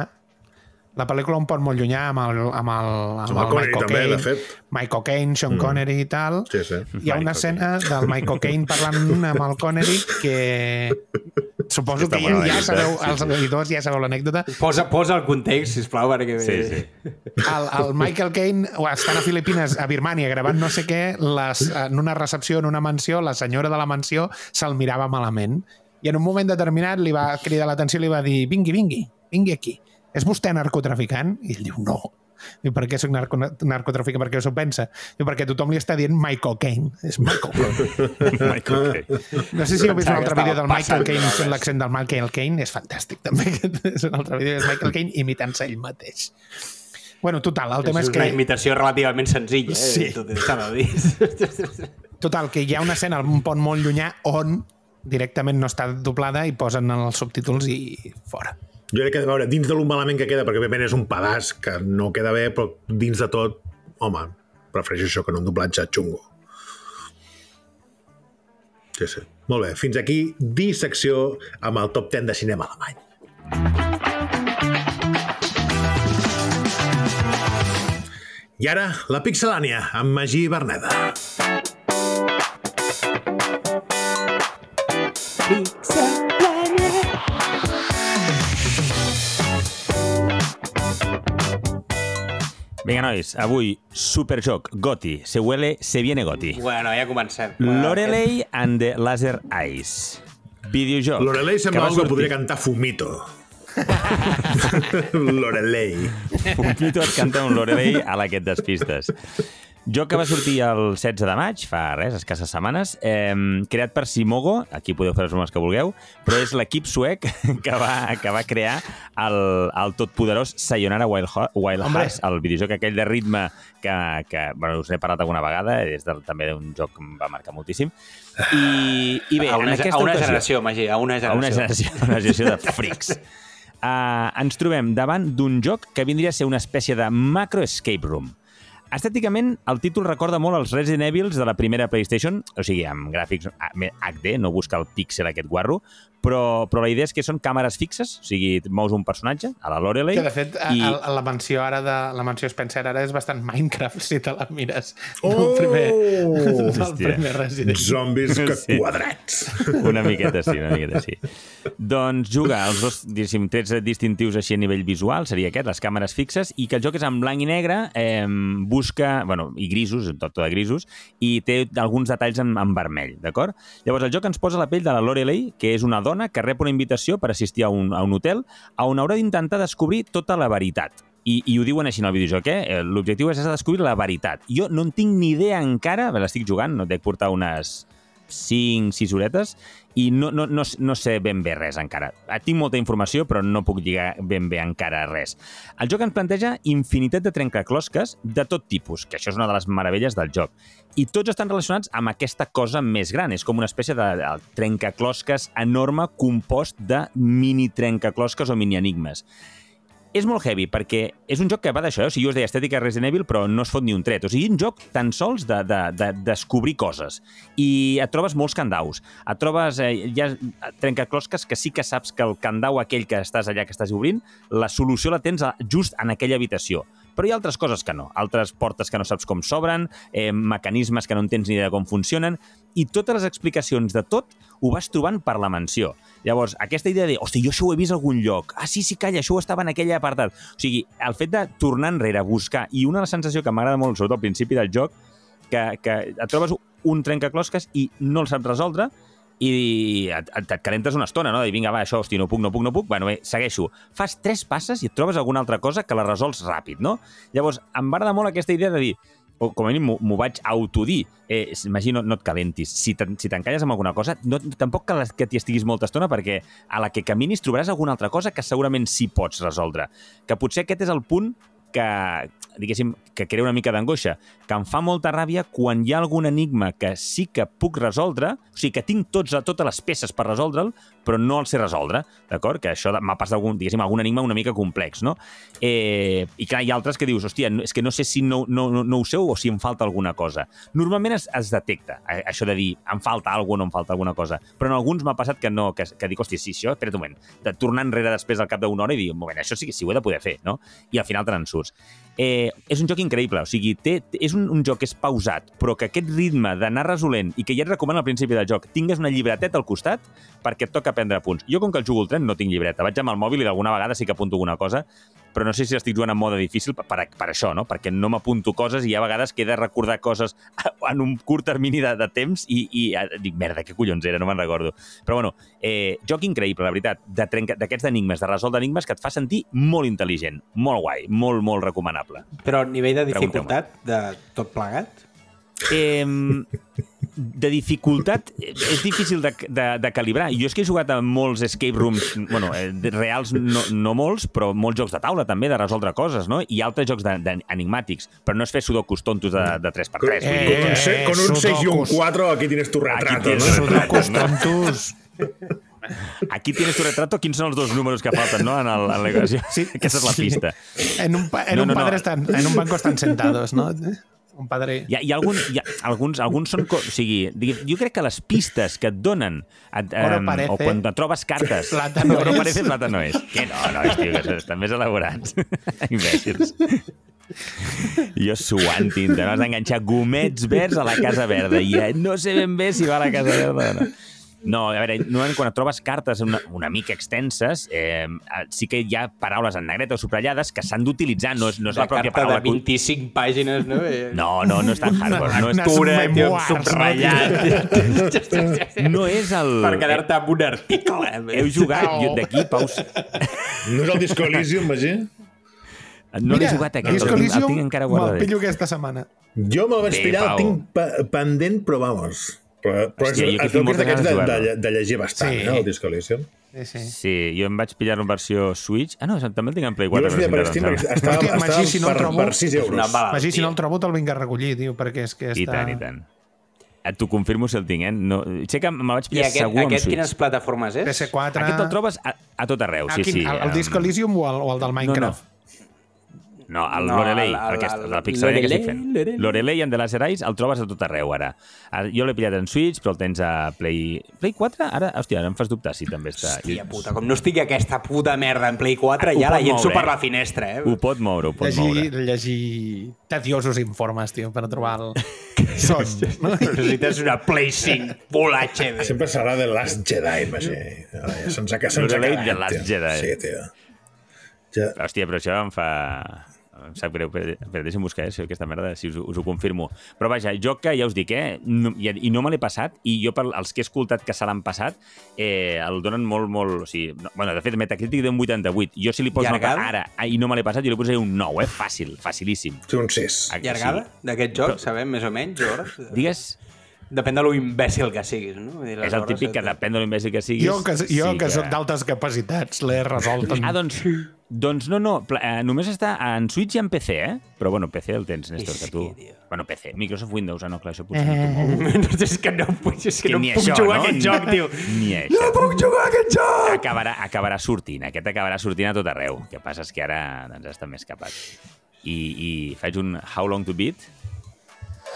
La pel·lícula Un pont molt llunyà amb el, amb el, amb Amb el el Connery Michael també, Caine, de fet. Michael Caine, Sean Connery i tal. Sí, sí. Hi ha una Michael escena del Michael Caine parlant amb el Connery que suposo Està que bona ja, ja l'anècdota, sabeu, sí, els sí. editors ja sabeu l'anècdota. Posa, posa el context, sisplau, perquè... Sí, sí. El, el Michael Caine estant a Filipines, a Birmània, gravant no sé què, les, en una recepció, en una mansió, la senyora de la mansió se'l mirava malament. I en un moment determinat li va cridar l'atenció i li va dir vingui, vingui, vingui aquí. És vostè narcotraficant? I ell diu no. I per què soc narco narcotraficant? Per què s'ho pensa? I perquè tothom li està dient Michael Caine. És Michael Caine. Michael Caine. No sé si heu vist un Pensava altre que vídeo del estava Michael passant Caine drogues. fent l'accent del Michael Caine. És fantàstic, també. És un altre vídeo, és Michael Caine imitant-se ell mateix. Bueno, total, el tema És és una que... imitació relativament senzilla, eh? Sí. Tot s'ha de dir. Total, que hi ha una escena en un pont molt llunyà on directament no està doblada i posen els subtítols i fora. Jo crec que, a veure, dins de lo malament que queda, perquè òbviament és un pedaç que no queda bé, però dins de tot, home, prefereixo això que no un doblatge xungo. Sí, sí. Molt bé, fins aquí dissecció amb el top deu de cinema alemany. I ara, la Pixelània, amb Magí Berneda. Vinga, nois, avui, superjoc, Goti, se huele, se viene Goti. Bueno, ja comencem. Lorelei and the Laser Eyes. Videojoc. Lorelei sembla que va algo que sortir- podria cantar Fumito. Lorelei. Fumito et canta un Lorelei a la que et despistes. Joc que va sortir el setze de maig, fa res, escasses setmanes, eh, creat per Simogo, aquí podeu fer els noms que vulgueu, però és l'equip suec que va, que va crear el, el totpoderós Sayonara Wild, Ho- Wild Hearts, el videojoc aquell de ritme que, que bueno, us n'he parlat alguna vegada, és de, també d'un joc que em va marcar moltíssim. I, i bé, A una, en aquesta a una ocasió, generació, Magí, a una a generació. una generació, una generació de freaks. Uh, ens trobem davant d'un joc que vindria a ser una espècie de macro escape room. Estèticament, el títol recorda molt els Resident Evils de la primera PlayStation, o sigui, amb gràfics H D, no busca el píxel aquest guarro, però, però la idea és que són càmeres fixes, o sigui, mous un personatge, a la Lorelei... Que, de fet, i... a, a la mansió ara de la mansió Spencer ara és bastant Minecraft, si te la mires. Oh! Del primer, del Hòstia. primer Resident. Zombis que Sí. quadrats. Una miqueta sí, una miqueta sí. Doncs juga els dos, diguéssim, trets distintius així a nivell visual, seria aquest, les càmeres fixes, i que el joc és en blanc i negre, eh, busca, bueno, i grisos, tot, tot de grisos, i té alguns detalls en, en vermell, d'acord? Llavors, el joc ens posa la pell de la Lorelei, que és una dona que rep una invitació per assistir a un, a un hotel on haurà d'intentar descobrir tota la veritat. I, i ho diuen així en el videojoc, eh? L'objectiu és descobrir la veritat. Jo no en tinc ni idea encara, l'estic jugant, no dec portar unes cinc sis horetes, i no, no, no, no sé ben bé res encara. Tinc molta informació, però no puc lligar ben bé encara res. El joc ens planteja infinitat de trencaclosques de tot tipus, que això és una de les meravelles del joc. I tots estan relacionats amb aquesta cosa més gran. És com una espècie de, de trencaclosques enorme compost de mini trencaclosques o mini enigmes. És molt heavy, perquè és un joc que va d'això, eh? O sigui, jo us deia estètica Resident Evil, però no es fot ni un tret. O sigui, un joc tan sols de, de, de descobrir coses. I et trobes molts candaus. Et trobes, eh, hi ha trencaclosques que sí que saps que el candau aquell que estàs allà, que estàs obrint, la solució la tens just en aquella habitació. Però hi ha altres coses que no. Altres portes que no saps com s'obren, eh, mecanismes que no entens ni de com funcionen, i totes les explicacions de tot ho vas trobant per la mansió. Llavors, aquesta idea de, hosti, jo això ho he vist a algun lloc. Ah, sí, sí, calla, això ho estava en aquell apartat. O sigui, el fet de tornar enrere, buscar, i una de les sensacions que m'agrada molt, sobretot al principi del joc, que, que et trobes un trencaclosques i no el saps resoldre, i et, et, et calentes una estona, no? De dir, vinga, va, això, hosti, no puc, no puc, no puc. Bueno, bé, segueixo. Fas tres passes i et trobes alguna altra cosa que la resols ràpid, no? Llavors, em va agradar molt aquesta idea de dir, o com a mínim m'ho vaig autodir, eh, imagino, no et calentis. Si t'encalles amb alguna cosa, no, tampoc cal que t'hi estiguis molta estona, perquè a la que caminis trobaràs alguna altra cosa que segurament sí pots resoldre. Que potser aquest és el punt que, diguéssim, que crea una mica d'angoixa, que em fa molta ràbia quan hi ha algun enigma que sí que puc resoldre, o sigui, que tinc tots, totes les peces per resoldre'l, però no el sé resoldre, d'acord? Que això m'ha passat algun, diguéssim, algun enigma una mica complex, no? Eh, I clar, hi ha altres que dius, hòstia, és que no sé si no, no, no, no ho sé o si em falta alguna cosa. Normalment es, es detecta, això de dir, em falta alguna cosa o no em falta alguna cosa, però en alguns m'ha passat que no, que, que dic, hòstia, sí, això, espera't un moment, de tornar enrere després al cap d'una hora i dir, un moment, això sí que sí ho he de poder fer, no? I al final te n'en surts. Eh, és un joc increïble, o sigui, té, és un, un joc que és pausat, però que aquest ritme d'anar resolent i que ja et recomano al principi del joc, tingues una llibreteta al costat perquè et toca prendre punts. Jo, com que el jugo al tren, no tinc llibreta. Vaig amb el mòbil i d'alguna vegada sí que apunto alguna cosa, però no sé si estic jugant en mode difícil per, per, per això, no? Perquè no m'apunto coses i hi ha vegades que he de recordar coses en un curt termini de, de temps i, i dic, merda, què collons era, no me'n recordo. Però bueno, eh, joc increïble, la veritat, d'aquests enigmes, de resoldre enigmes que et fa sentir molt intel·ligent, molt guai, molt, molt recomanable. Però a nivell de dificultat de tot plegat? Eh, de dificultat és difícil de, de, de calibrar. Jo és que he jugat a molts escape rooms, bueno, eh, reals no, no molts, però molts jocs de taula també, de resoldre coses, no? I altres jocs enigmàtics, però no és fer sudokus tontos de, de tres per tres. Eh, con, un se, con un seis y un cuatro aquí tienes tu retrato. Aquí tienes ¿no? Sudokus tontos. Aquí tienes tu retrato, quins són els dos números que falten, no? En l'equació. Sí, aquesta és la pista. En un, en No, un no, no. padre están, en un banco están sentados, ¿no? Un padre... Hi ha, hi ha, algun, hi ha alguns, alguns són... O sigui, jo crec que les pistes que et donen et, Oro um, parece. o quan et trobes cartes... Plata no Oro es. parece, plata no és. Que no, no, és, tio, que estan més elaborats. Imbècils. Jo suant tinta, no? Has d'enganxar gomets verds a la Casa Verda i no sé ben bé si va a la Casa Verda o no. No, a veure, normalment quan et trobes cartes una, una mica extenses, eh, sí que hi ha paraules en negreta o subratllades que s'han d'utilitzar, no és, no és la pròpia paraula. De carta de vint-i-cinc pàgines, no? No, no, no és tan hardcore. No és tura, tio, subratllat. No és el... Per quedar-te amb un article. Heu jugat d'aquí, Paus... No és el Disco Elysium, Magí? No l'he jugat aquest, Disco el, Elysium el tinc encara me'l guardat. pillo aquesta setmana. Jo me'l vaig Bé, pillar, el Pau. tinc pe- pendent, però vamos. Però, però Hòstia, és, jo que es tinc veu que és moltes d'aquests de, ganes de de, jugar-lo. de llegir bastant, Sí. sí. eh, el Disco Elysium. Sí, sí. Sí, jo em vaig pillar en versió Switch. Ah, no, també el tinc en Play Jo quatre. vaig pillar per Steam, perquè estava, Hòstia, estava Magí, si no el per, trobo- per sis euros. Una bala. Magí, si no el trobo, te'l vinc a recollir, tio, perquè és que està... I tant, i tant. Et t'ho confirmo si el tinc, eh? No, sé que me'l vaig I pillar aquest, segur amb aquest Switch. quines plataformes és? P C quatre... Aquest el trobes a, a tot arreu, sí, Ah, quin, sí. el, el Disco Elysium o el, o el del Minecraft? No, no, el No, Lorelei, el- el- aquest, el- el Pixelania que estic fent. Lorelei, Lorelei and the Laser Eyes el trobes a tot arreu, ara. Ara, jo l'he pillat en Switch, però el tens a Play... Play quatre? Ara, hòstia, ara em fas dubtar si també està... Hòstia puta, com no estigui aquesta puta merda en Play quatre, Ho ja la pot llenço moure, per eh? la finestra, eh? Ho pot moure, ho pot moure. Llegir, llegir tediosos informes, tio, per trobar el son. No? Necessites una Play cinc Full H D. Sempre serà The Last Jedi, Magí. Ara ja Se'ns ha, se'ns ha Lorelei quedat, The Last tio. Jedi. Sí, tio. Ja, Hòstia, però això em fa... Em sap greu, però, però deixa'm buscar eh, si aquesta merda, si us, us ho confirmo. Però vaja, joc que ja us dic, eh, no, i, i no me l'he passat, i jo per els que he escoltat que se l'han passat, eh, el donen molt, molt... O sigui, no, bueno, de fet, Metacritic d'un vuitanta-vuit. Jo si li poso nota Llargada? ara ah, i no me l'he passat, jo li posaré un nou, eh? Fàcil, facilíssim. sí, un sis. Ah, que Llargada sí. d'aquest joc, Però- sabem més o menys, hores? Digues, Depèn de lo imbècil que siguis, no? Vull dir, les és el hores típic que et- depèn de l'imbècil que siguis. Jo, que, jo sí que sóc d'altes capacitats, l'he resolt. En... Ah, doncs, doncs no, no, pla- eh, només està en Switch i en P C, eh? Però bueno, P C el tens, Néstor, És que tu... que, tio. Bueno, P C, Microsoft Windows, ah, no, clar, això potser no t'ho mou. No, és que no, puc- és que Que no ni puc això, jugar no? a aquest joc, tio. Ni això. No puc jugar a aquest joc! Acabarà, acabarà sortint, aquest acabarà sortint a tot arreu. El que passa és que ara doncs, està més capat. I, I faig un How Long to Beat.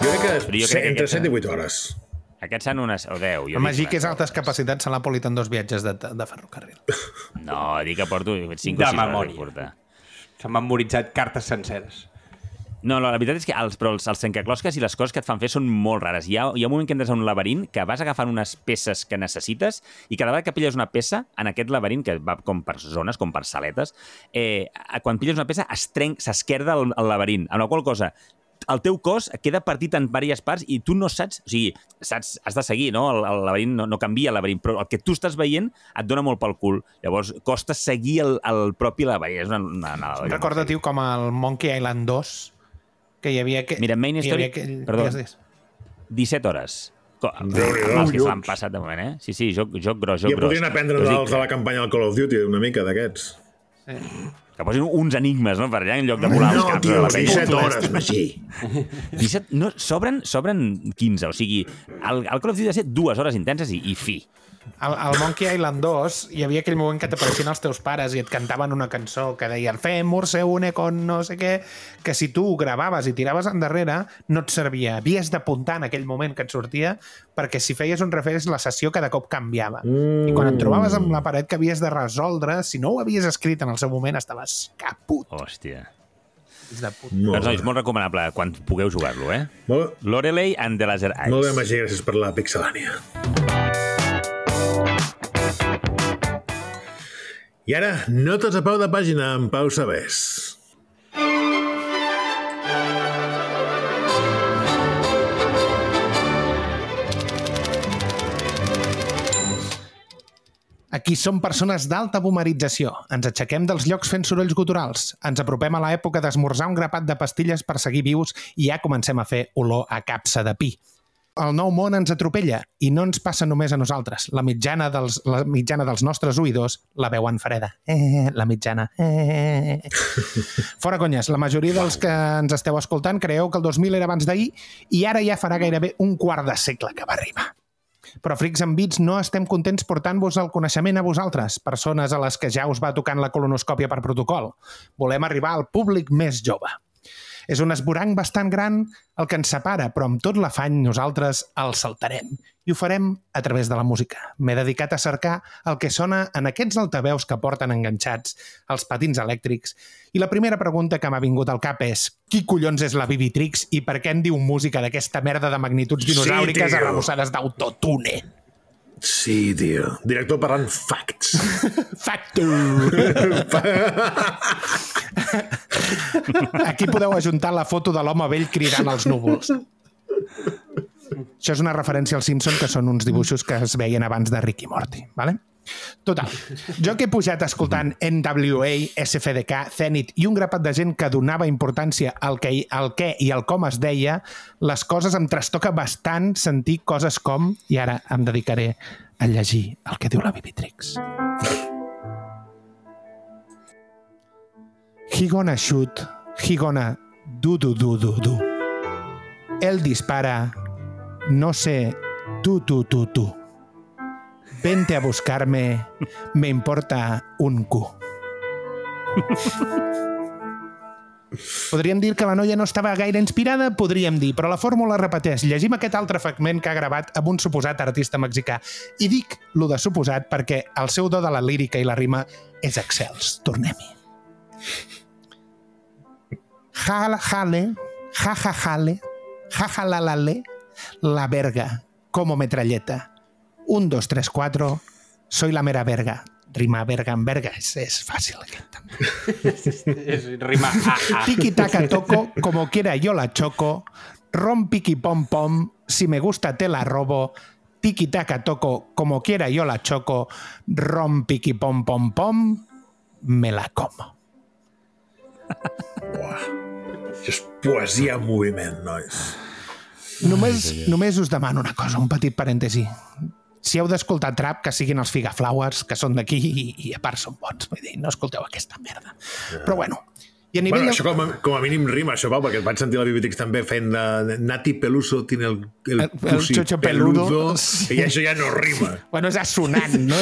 Jo crec que, Però jo se- crec que entre aquesta- set i vuit hores. Aquests són unes... o deu. Jo El Magí, dic, que és altes capacitats, se l'ha polit en dos viatges de, de ferrocarril. No, dic que porto cinc De o sis hores. memòria. de portar. S'han memoritzat cartes senceres. No, no, la veritat és que els, però els, els trencaclosques i les coses que et fan fer són molt rares. Hi ha, hi ha un moment que entres a un laberint que vas agafant unes peces que necessites i cada vegada que pilles una peça en aquest laberint, que va com per zones, com per saletes, eh, quan pilles una peça es trenc, s'esquerda el, el laberint, amb la qual cosa el teu cos queda partit en diverses parts i tu no saps, o sigui, saps, has de seguir, no? El, el laberint no, no canvia el laberint, però el que tu estàs veient et dona molt pel cul. Llavors, costa seguir el, el propi laberint. És una, una, una, una Recorda, tio, com el Monkey Island dos, que hi havia... Que, Mira, Main hi Story... havia aquell... Perdó. digues, digues. disset hores. Co- Déu-n'hi-do, Els que se collons. l'han passat de moment, eh? Sí, sí, joc, joc gros, joc Ja gros. podrien aprendre Us dic dels de la campanya del Call of Duty, una mica d'aquests. Que posin uns enigmes, no?, per allà, en lloc de volar els No, caps. tio, de la penya. disset hores, Magí. disset, no, sobren, sobren quinze, o sigui, el, el Call of Duty ha de ser dues hores intenses i, i fi. Al, al Monkey Island dos hi havia aquell moment que t'apareixien els teus pares i et cantaven una cançó que deia el Femur se une con no sé què, que si tu ho gravaves i tiraves endarrere no et servia. Havies d'apuntar en aquell moment que et sortia perquè si feies un refresh la sessió cada cop canviava. Mm. I quan et trobaves amb la paret que havies de resoldre, si no ho havies escrit en el seu moment estaves caput. Hòstia. Fills de puta. Molt Doncs, nois, bé. molt recomanable quan pugueu jugar-lo, eh? Molt, Lorelei and the Laser Eyes. molt bé, Magí, gràcies per la pixelània. I ara, notes a peu de pàgina amb Pau Sabés. Aquí som persones d'alta boomerització. Ens aixequem dels llocs fent sorolls guturals. Ens apropem a l'època d'esmorzar un grapat de pastilles per seguir vius i ja comencem a fer olor a capsa de pi. El nou món ens atropella i no ens passa només a nosaltres. La mitjana dels, la mitjana dels nostres oïdors la veuen freda. Eh, la mitjana. Eh. Fora conyes, la majoria dels que ens esteu escoltant creieu que el dos mil era abans d'ahir i ara ja farà gairebé un quart de segle que va arribar. Però Freaks and Beats no estem contents portant-vos el coneixement a vosaltres, persones a les que ja us va tocant la colonoscòpia per protocol. Volem arribar al públic més jove. És un esborang bastant gran el que ens separa, però amb tot l'afany nosaltres el saltarem. I ho farem a través de la música. M'he dedicat a cercar el que sona en aquests altaveus que porten enganxats els patins elèctrics. I la primera pregunta que m'ha vingut al cap és qui collons és la Vivitrix i per què en diu música d'aquesta merda de magnituds dinosauriques tio. arrebossades d'autotune? Sí, tio. Director parlant facts. Factor! Aquí podeu ajuntar la foto de l'home vell cridant als núvols. Això és una referència als Simpson, que són uns dibuixos que es veien abans de Rick i Morty, ¿vale? Total, jo que he pujat escoltant N W A, S F D K, Zenith i un grapat de gent que donava importància al que, al què i al com es deia, les coses em trastoca bastant sentir coses com, i ara em dedicaré a llegir el que diu la Bibitrix. He gonna shoot, he gonna do do do do do. Él dispara, no sé, tú, tú, tú, tú. Vente a buscarme, me importa un cu. Podríem dir que la noia no estava gaire inspirada? Podríem dir, però la fórmula repeteix. Llegim aquest altre fragment que ha gravat amb un suposat artista mexicà. I dic lo de suposat perquè el seu do de la lírica i la rima és excels. Tornem-hi. Jala, jale, jaja, jale, jaja, la, la, le, la verga, como metralleta. Un, dos, tres, cuatro, soy la mera verga. Rima verga en verga, és, és fàcil aquest també. És rima a, a. Tiki taka toco, como quiera yo la choco. Rom piqui pom pom, si me gusta te la robo. Tiki taka toco, como quiera yo la choco. Rom piqui pom pom pom, me la como. Uah. Això és poesia en moviment, nois. Només, només us demano una cosa, un petit parèntesi. Si heu d'escoltar trap, que siguin els Figaflowers, que són d'aquí i, i a part són bons. Vull dir, no escolteu aquesta merda. Yeah. Però bueno, i a nivell... Bueno, això com a, com a mínim rima, això, Pau, perquè et vaig sentir la Bibitrix també fent de Nati Peluso tiene el, el, el, el xocho peludo, peludo sí. I això ja no rima. Bueno, és assonant, no?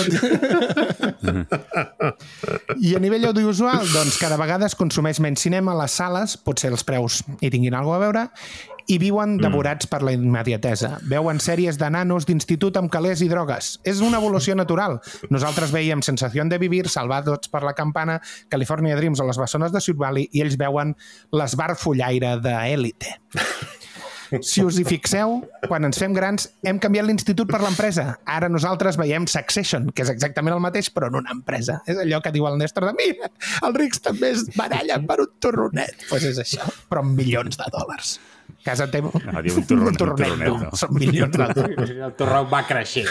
I a nivell audiovisual, doncs cada vegada es consumeix menys cinema a les sales, potser els preus hi tinguin alguna a veure, i viuen devorats mm. per la immediatesa. Veuen sèries de nanos d'institut amb calés i drogues. És una evolució natural. Nosaltres veiem Sensación de Vivir, Salvados per la Campana, California Dreams o Les Bessones de Sud Valley i ells veuen l'Esbar Follaire d'Élite. Si us hi fixeu, quan ens fem grans hem canviat l'institut per l'empresa. Ara nosaltres veiem Succession, que és exactament el mateix però en una empresa. És allò que diu el Néstor de mira, els rics també es barallen per un torronet. Doncs pues és això, però amb milions de dòlars. Casa teva... No, diu un torronet, un torronet, no. no. Són milions de dòlars. El torró va creixent.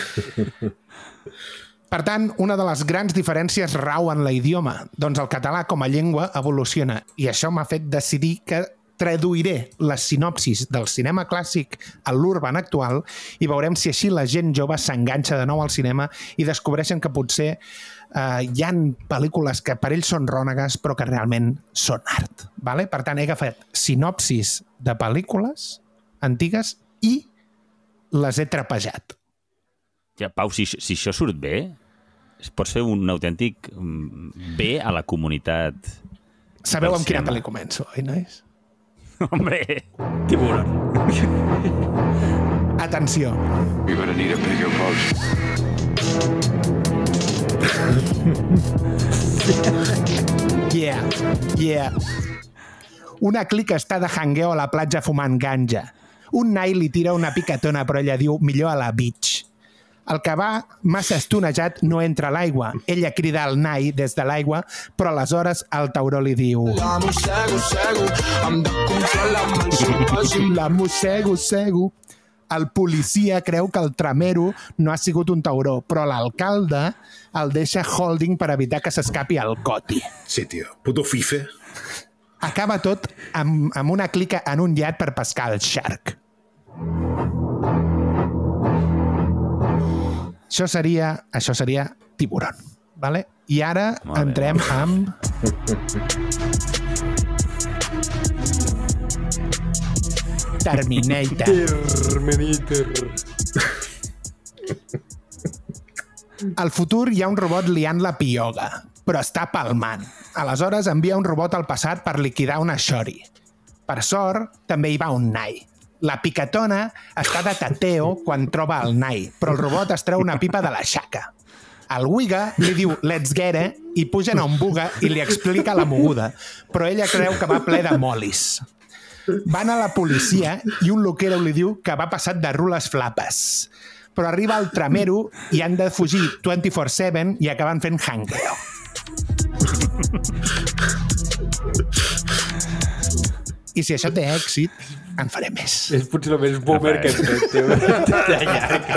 Per tant, una de les grans diferències rau en l'idioma. Doncs el català com a llengua evoluciona i això m'ha fet decidir que traduiré les sinopsis del cinema clàssic a l'urban actual i veurem si així la gent jove s'enganxa de nou al cinema i descobreixen que potser eh, hi ha pel·lícules que per ells són rònegues però que realment són art. Vale? Per tant, he agafat sinopsis de pel·lícules antigues i les he trepejat. Ja, Pau, si, si això surt bé, pots fer un autèntic bé a la comunitat. Sabeu amb quina pel·li començo, oi, nois? Hombre, tiburón. Atenció. You're gonna need a bigger boat. Yeah, yeah. Una clica està de jangueo a la platja fumant ganja. Un nai li tira una picatona, però ella diu millor a la beach. El que va massa estonejat no entra a l'aigua. Ella crida al nai des de l'aigua, però aleshores el tauró li diu la mossego, sego. El policia creu que el tramero no ha sigut un tauró, però l'alcalde el deixa holding per evitar que s'escapi al coti. Sí, tio. Puto fife. Acaba tot amb, amb una clica en un iat per pescar el shark. Això seria, això seria Tiburón, vale? I ara Molt entrem bé. amb... Terminator. Terminator. Al futur hi ha un robot liant la pioga, però està palmant. Aleshores envia un robot al passat per liquidar una shori. Per sort, també hi va un nai. La picatona està de tateo quan troba el nai, però el robot es treu una pipa de la xaca. El Wiga li diu let's get it i pugen a un buga i li explica la moguda, però ella creu que va ple de molis. Van a la policia i un loquero li diu que va passat de rules flapes. però arriba el tramero i han de fugir vint-i-quatre set i acaben fent hangueo. I si això té èxit, en faré més. És potser el més boomer que hem fet, tio. De llarg.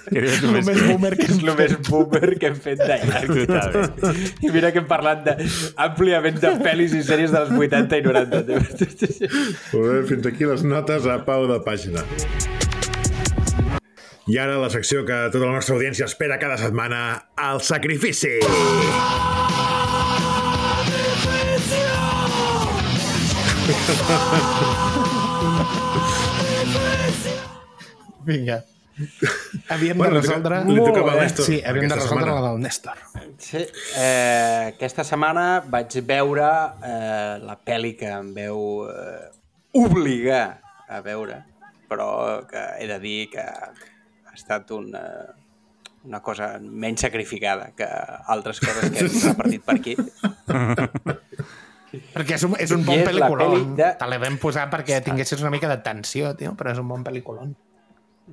És El més boomer que És hem el més boomer que hem fet de llarg. Totalment. I mira que hem parlat de, àmpliament de pel·lis i sèries dels vuitanta i noranta. Tio. Molt bé, fins aquí les notes a peu de pàgina. I ara la secció que tota la nostra audiència espera cada setmana, el sacrifici. Vinga. Havíem Bueno, de resoldre... li tocava al Néstor Sí, havíem de aquesta resoldre setmana. la del Néstor. Sí, eh, aquesta setmana vaig veure eh, la pel·li que em veu eh, obligar a veure, però que he de dir que ha estat una, una cosa menys sacrificada que altres coses que hem repartit per aquí. Perquè és un, és un I bon és la pel·liculon. pel·li de- Te l'he vam posar perquè tinguessis una mica de tensió, tio, però és un bon pel·liculon.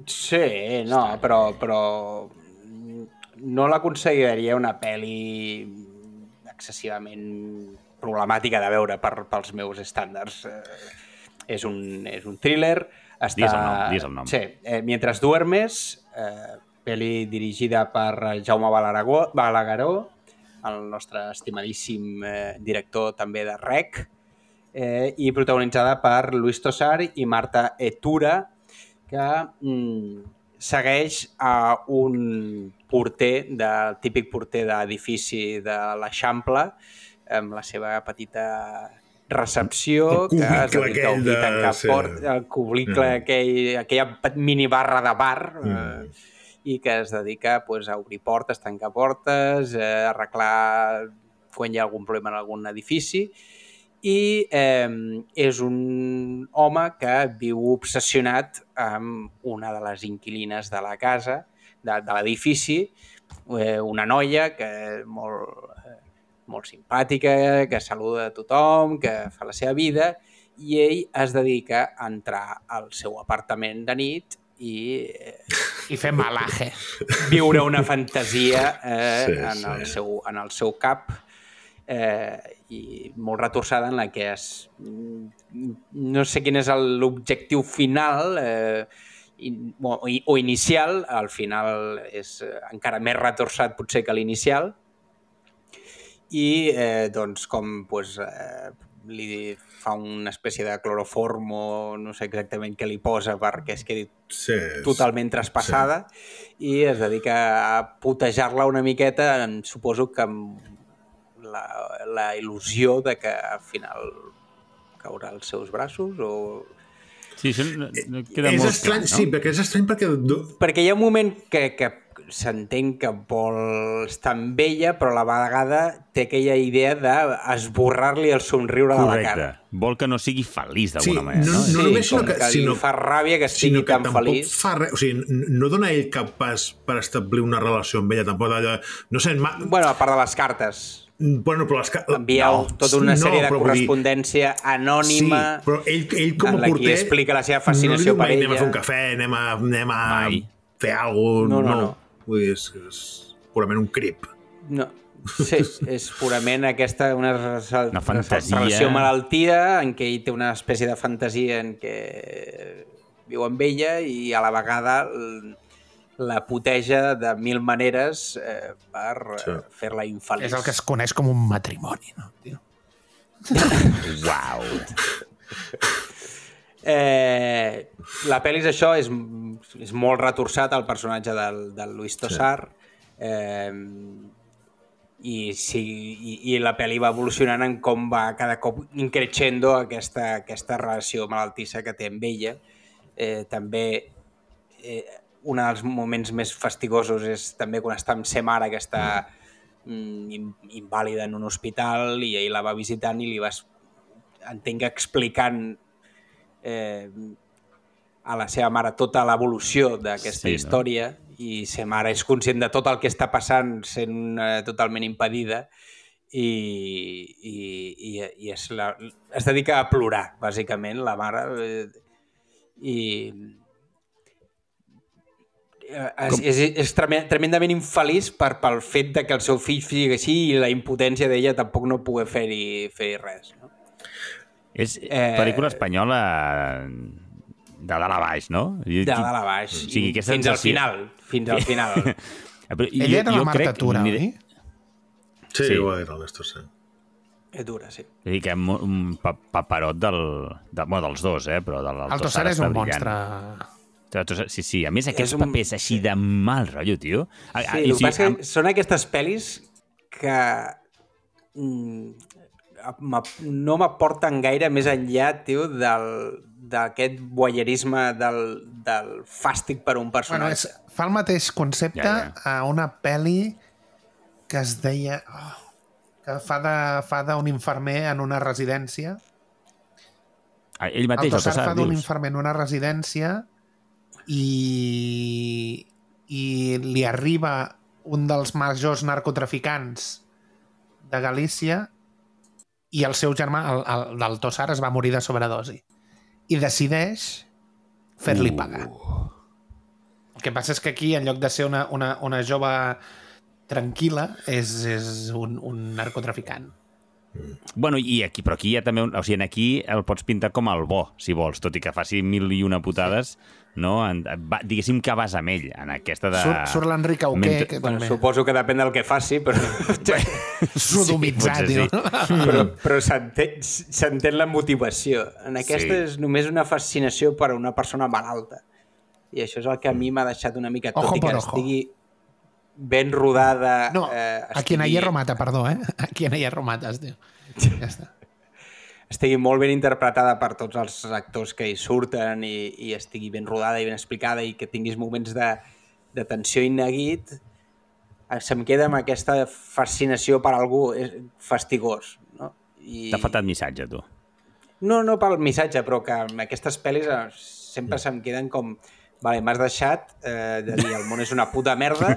Sí, no, però, però no la consideraria una pel·li excessivament problemàtica de veure per, pels meus estàndards. Eh, és, un, és un thriller. Està... Digues el nom, digues el nom. Sí, eh, Mientras duermes, eh, pel·li dirigida per Jaume Balagueró, Balagueró, el nostre estimadíssim eh, director també de Rec, eh, i protagonitzada per Luis Tosar i Marta Etura, que mm, segueix a un porter, del típic porter d'edifici de l'Eixample, amb la seva petita recepció, El que es cubicle dedica a aquell obrir de- tancar sí. port, el cubicle, Mm. aquell, aquella minibarra de bar, Mm. eh, i que es dedica pues, a obrir portes, tancar portes, eh, arreglar quan hi ha algun problema en algun edifici, i eh, és un home que viu obsessionat amb una de les inquilines de la casa, de, de l'edifici, eh, una noia que és molt, eh, molt simpàtica, que saluda a tothom, que fa la seva vida, i ell es dedica a entrar al seu apartament de nit i eh, I fer malaje. viure una fantasia eh, Sí, en, sí. el seu, en el seu cap, eh, i molt retorçada, en la que es, no sé quin és el- l'objectiu final eh, in, o, o inicial. Al final és eh, encara més retorçat potser que l'inicial, i eh, doncs com pues, eh, li fa una espècie de cloroform o no sé exactament què li posa perquè es quedi Sí, és- totalment traspassada, sí. I es dedica a putejar-la una miqueta, en, suposo que amb la, la il·lusió de que al final caurà als seus braços o... Sí, això no, no queda és molt estrany, clar, no? sí, perquè és estrany perquè... Perquè hi ha un moment que, que s'entén que vol estar amb ella, però a la vegada té aquella idea d'esborrar-li el somriure de la cara. Correcte. Vol que no sigui feliç Sí, d'alguna manera, no, no? no Sí, només, sinó com que, que li sinó, fa ràbia que sinó estigui que tan tampoc feliç. fa res, o sigui, n- no dona ell cap pas per establir una relació amb ella, tampoc d'allò... No sé, ma... Bueno, a part de les cartes. bueno, però les... ca- Envieu no, tota una sèrie no, de però vull dir- correspondència anònima. Sí, però ell, ell com en a la que porter... explica la seva no fascinació li diu per mai, anem a ella. fer un cafè, anem a, anem a Mai. fer alguna No, cosa... no, no. Vull dir, és, és purament un crip. No, sí, és purament aquesta una, resal- Una fantasia. relació malaltia en què ell té una espècie de fantasia en què viu amb ella i a la vegada l- la puteja de mil maneres eh, per Sí. eh, fer-la infeliç. És el que es coneix com un matrimoni, no? Tio? Uau! Eh, la pel·li és això, és, és molt retorçat el personatge del, del Luis Tosar, eh, i, sí, i, i la pel·li va evolucionant en com va cada cop increixendo aquesta, aquesta relació malaltissa que té amb ella. Eh, també eh, un dels moments més fastigosos és també quan està amb sa mare, que està mm, in- invàlida en un hospital, i ell la va visitant i li va, entenc que explicant eh, a la seva mare tota l'evolució d'aquesta Sí, no? història, i sa mare és conscient de tot el que està passant sent eh, totalment impedida, i, i, i, i es, la, es dedica a plorar, bàsicament, la mare, eh, i És, és, és tremendament infeliç per, pel fet de que el seu fill sigui així i la impotència d'ella tampoc no poder fer-hi fer res. No? És eh... pel·lícula espanyola de dalt a baix, no? De dalt a baix. O sigui, fins sensació... al final. Fins al final. Però, Ella era la Marta Tura, oi? Sí, sí, ho era el Néstor, sí. És dura, sí. És dir, que un paperot del, de, bueno, dels dos, eh? Però del, el Tossar és un monstre... Sí, sí, a més aquests un... papers així de mal rotllo, tio. Sí, el que sí, passa amb... són aquestes pel·lis que no m'aporten gaire més enllà, tio, d'aquest voyeurisme del, del fàstic per un personatge. Bueno, és, fa el mateix concepte ja, ja. a una pel·li que es deia... Oh, que fa d'un infermer en una residència. Ah, ell mateix, el Tossar fa d'un infermer en una residència i, i li arriba un dels majors narcotraficants de Galícia i el seu germà, el, el, del Tossar, es va morir de sobredosi i decideix fer-li pagar. Uh. El que passa és que aquí, en lloc de ser una, una, una jove tranquil·la, és, és un, un narcotraficant. Bueno, i aquí, però aquí hi ha també... Un, o sigui, aquí el pots pintar com el bo, si vols, tot i que faci mil i una putades, no? En, va, diguéssim que vas amb ell, en aquesta de... Surt, surt l'Enric Auqué, Ment... que bueno, també... Suposo que depèn del que faci, però... Sodomitzat, sí, sí. Però, però s'entén la motivació. En aquesta sí. És només una fascinació per a una persona malalta. I això és el que a mi m'ha deixat una mica... Tot ojo i que ojo. estigui ben rodada... No, eh, estigui... a quien a hierro mata, perdó, eh? A quien a hierro mates, tio. Ja està. Estigui molt ben interpretada per tots els actors que hi surten i, i estigui ben rodada i ben explicada i que tinguis moments de, de tensió i neguit, se'm queda amb aquesta fascinació per algú fastigós. No? I... T'ha faltat missatge, tu. No, no pel missatge, però que amb aquestes pel·lis sempre se'm queden com... Vale, m'has deixat eh, de dir el món és una puta merda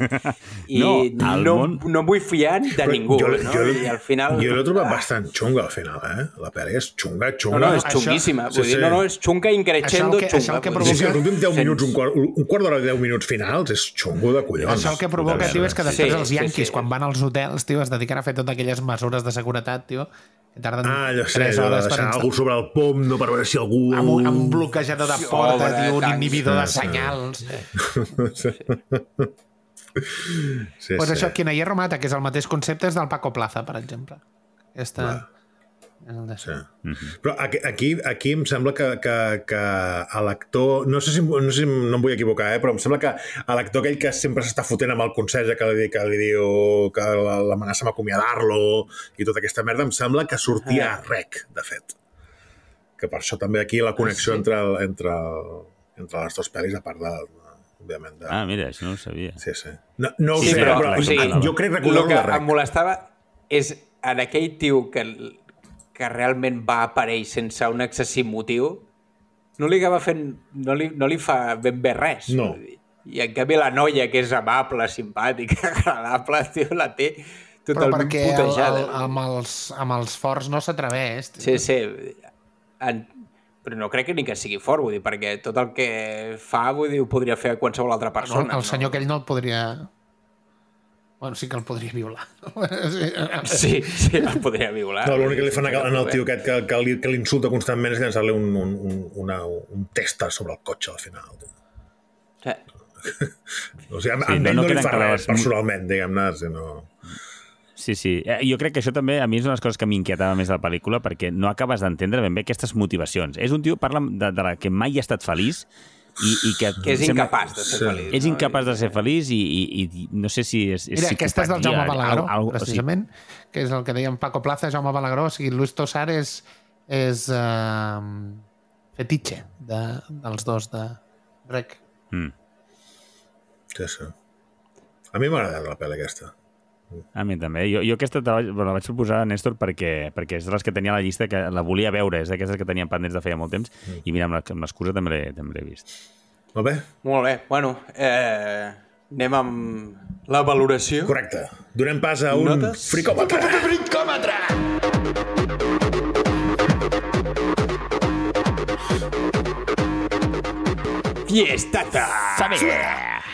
i no, no, món... no em vull fiar de però ningú. Jo, no? Jo, I al final... jo l'he trobat ah. bastant xunga al final, eh? La pel·li és xunga, xunga. No, no, és xunguíssima. Això... Vull dir, no, no, és xunga increixendo que, xunga. Que provoca... Sí, sí, els últims deu minuts, un quart, un quart d'hora de deu minuts finals és xungo de collons. Això el que provoca, tio, és que després sí, els Yankees, sí, sí. quan van als hotels, tio, es dediquen a fer totes aquelles mesures de seguretat, tio, que tarden ah, jo sé, tres hores per deixar algú sobre el pom, no, per veure si algú... Amb un, amb un bloquejador de porta, tio, un inhibidor de senyals... Sí, sí. Pues això, Quien a hierro mata, que és el mateix concepte, és del Paco Plaza, per exemple. Aquesta... Sí. Mm-hmm. Però aquí, aquí, aquí em sembla que, que, que l'actor, no sé si, no sé si no em vull equivocar, eh, però em sembla que l'actor aquell que sempre s'està fotent amb el conserge que li, que li diu que l'amenaça amb acomiadar-lo i tota aquesta merda, em sembla que sortia a rec, de fet. Que per això també aquí la connexió ah, sí? entre, entre, entre les dues pel·lis, a part de... òbviament. De... Ah, mira, això no ho sabia. Sí, sí. No, no ho sí, sé, però, però, o sigui, jo crec recordar-ho de rec. El que em molestava és en aquell tio que... que realment va aparèixer sense un excessiu motiu, no li acaba fent, no li, no li fa ben bé res. No. I en canvi la noia, que és amable, simpàtica, agradable, tio, la té totalment putejada. Però perquè el, el, amb, els, amb els forts no s'atreveix. Sí, sí. En, però no crec que ni que sigui fort, vull dir, perquè tot el que fa, vull dir, ho podria fer qualsevol altra persona. No, el senyor no? aquell no el podria... Bueno, sí que el podria violar. Sí, sí, el podria violar. No, l'únic que li fan en el tio aquest que, que, li, que l'insulta constantment és llançar-li un, un, un, una, un testa sobre el cotxe al final. Sí. O sigui, amb sí, ell no, no, no li fa res personalment, diguem-ne, sinó... Sí, sí. Jo crec que això també a mi és una de les coses que m'inquietava més de la pel·lícula perquè no acabes d'entendre ben bé aquestes motivacions. És un tio, parla de, de la que mai ha estat feliç I, i que, que és sembla, incapaç de ser feliç. És no? incapaç de ser feliç i, i, i no sé si és, és Mira, aquesta és del Jaume Balagueró, al, al, precisament, o sigui... que és el que dèiem Paco Plaza, Jaume Balagueró, o sigui, Luis Tossar és, és uh, fetitxe de, dels dos de Rec. Mm. Sí, sí. A mi m'ha agradat la pel·li aquesta. A mi també. Jo, jo aquesta la, la vaig proposar a Néstor perquè, perquè és de les que tenia a la llista, que la volia veure, és d'aquestes que tenien pendents de feia molt temps, mm. i mira, amb l'excusa també l'he vist. Molt bé. Molt bé. Bueno, eh, anem amb la valoració. Correcte. Donem pas a un Notes? fricòmetre. Fricòmetre! Fiestata! Saber!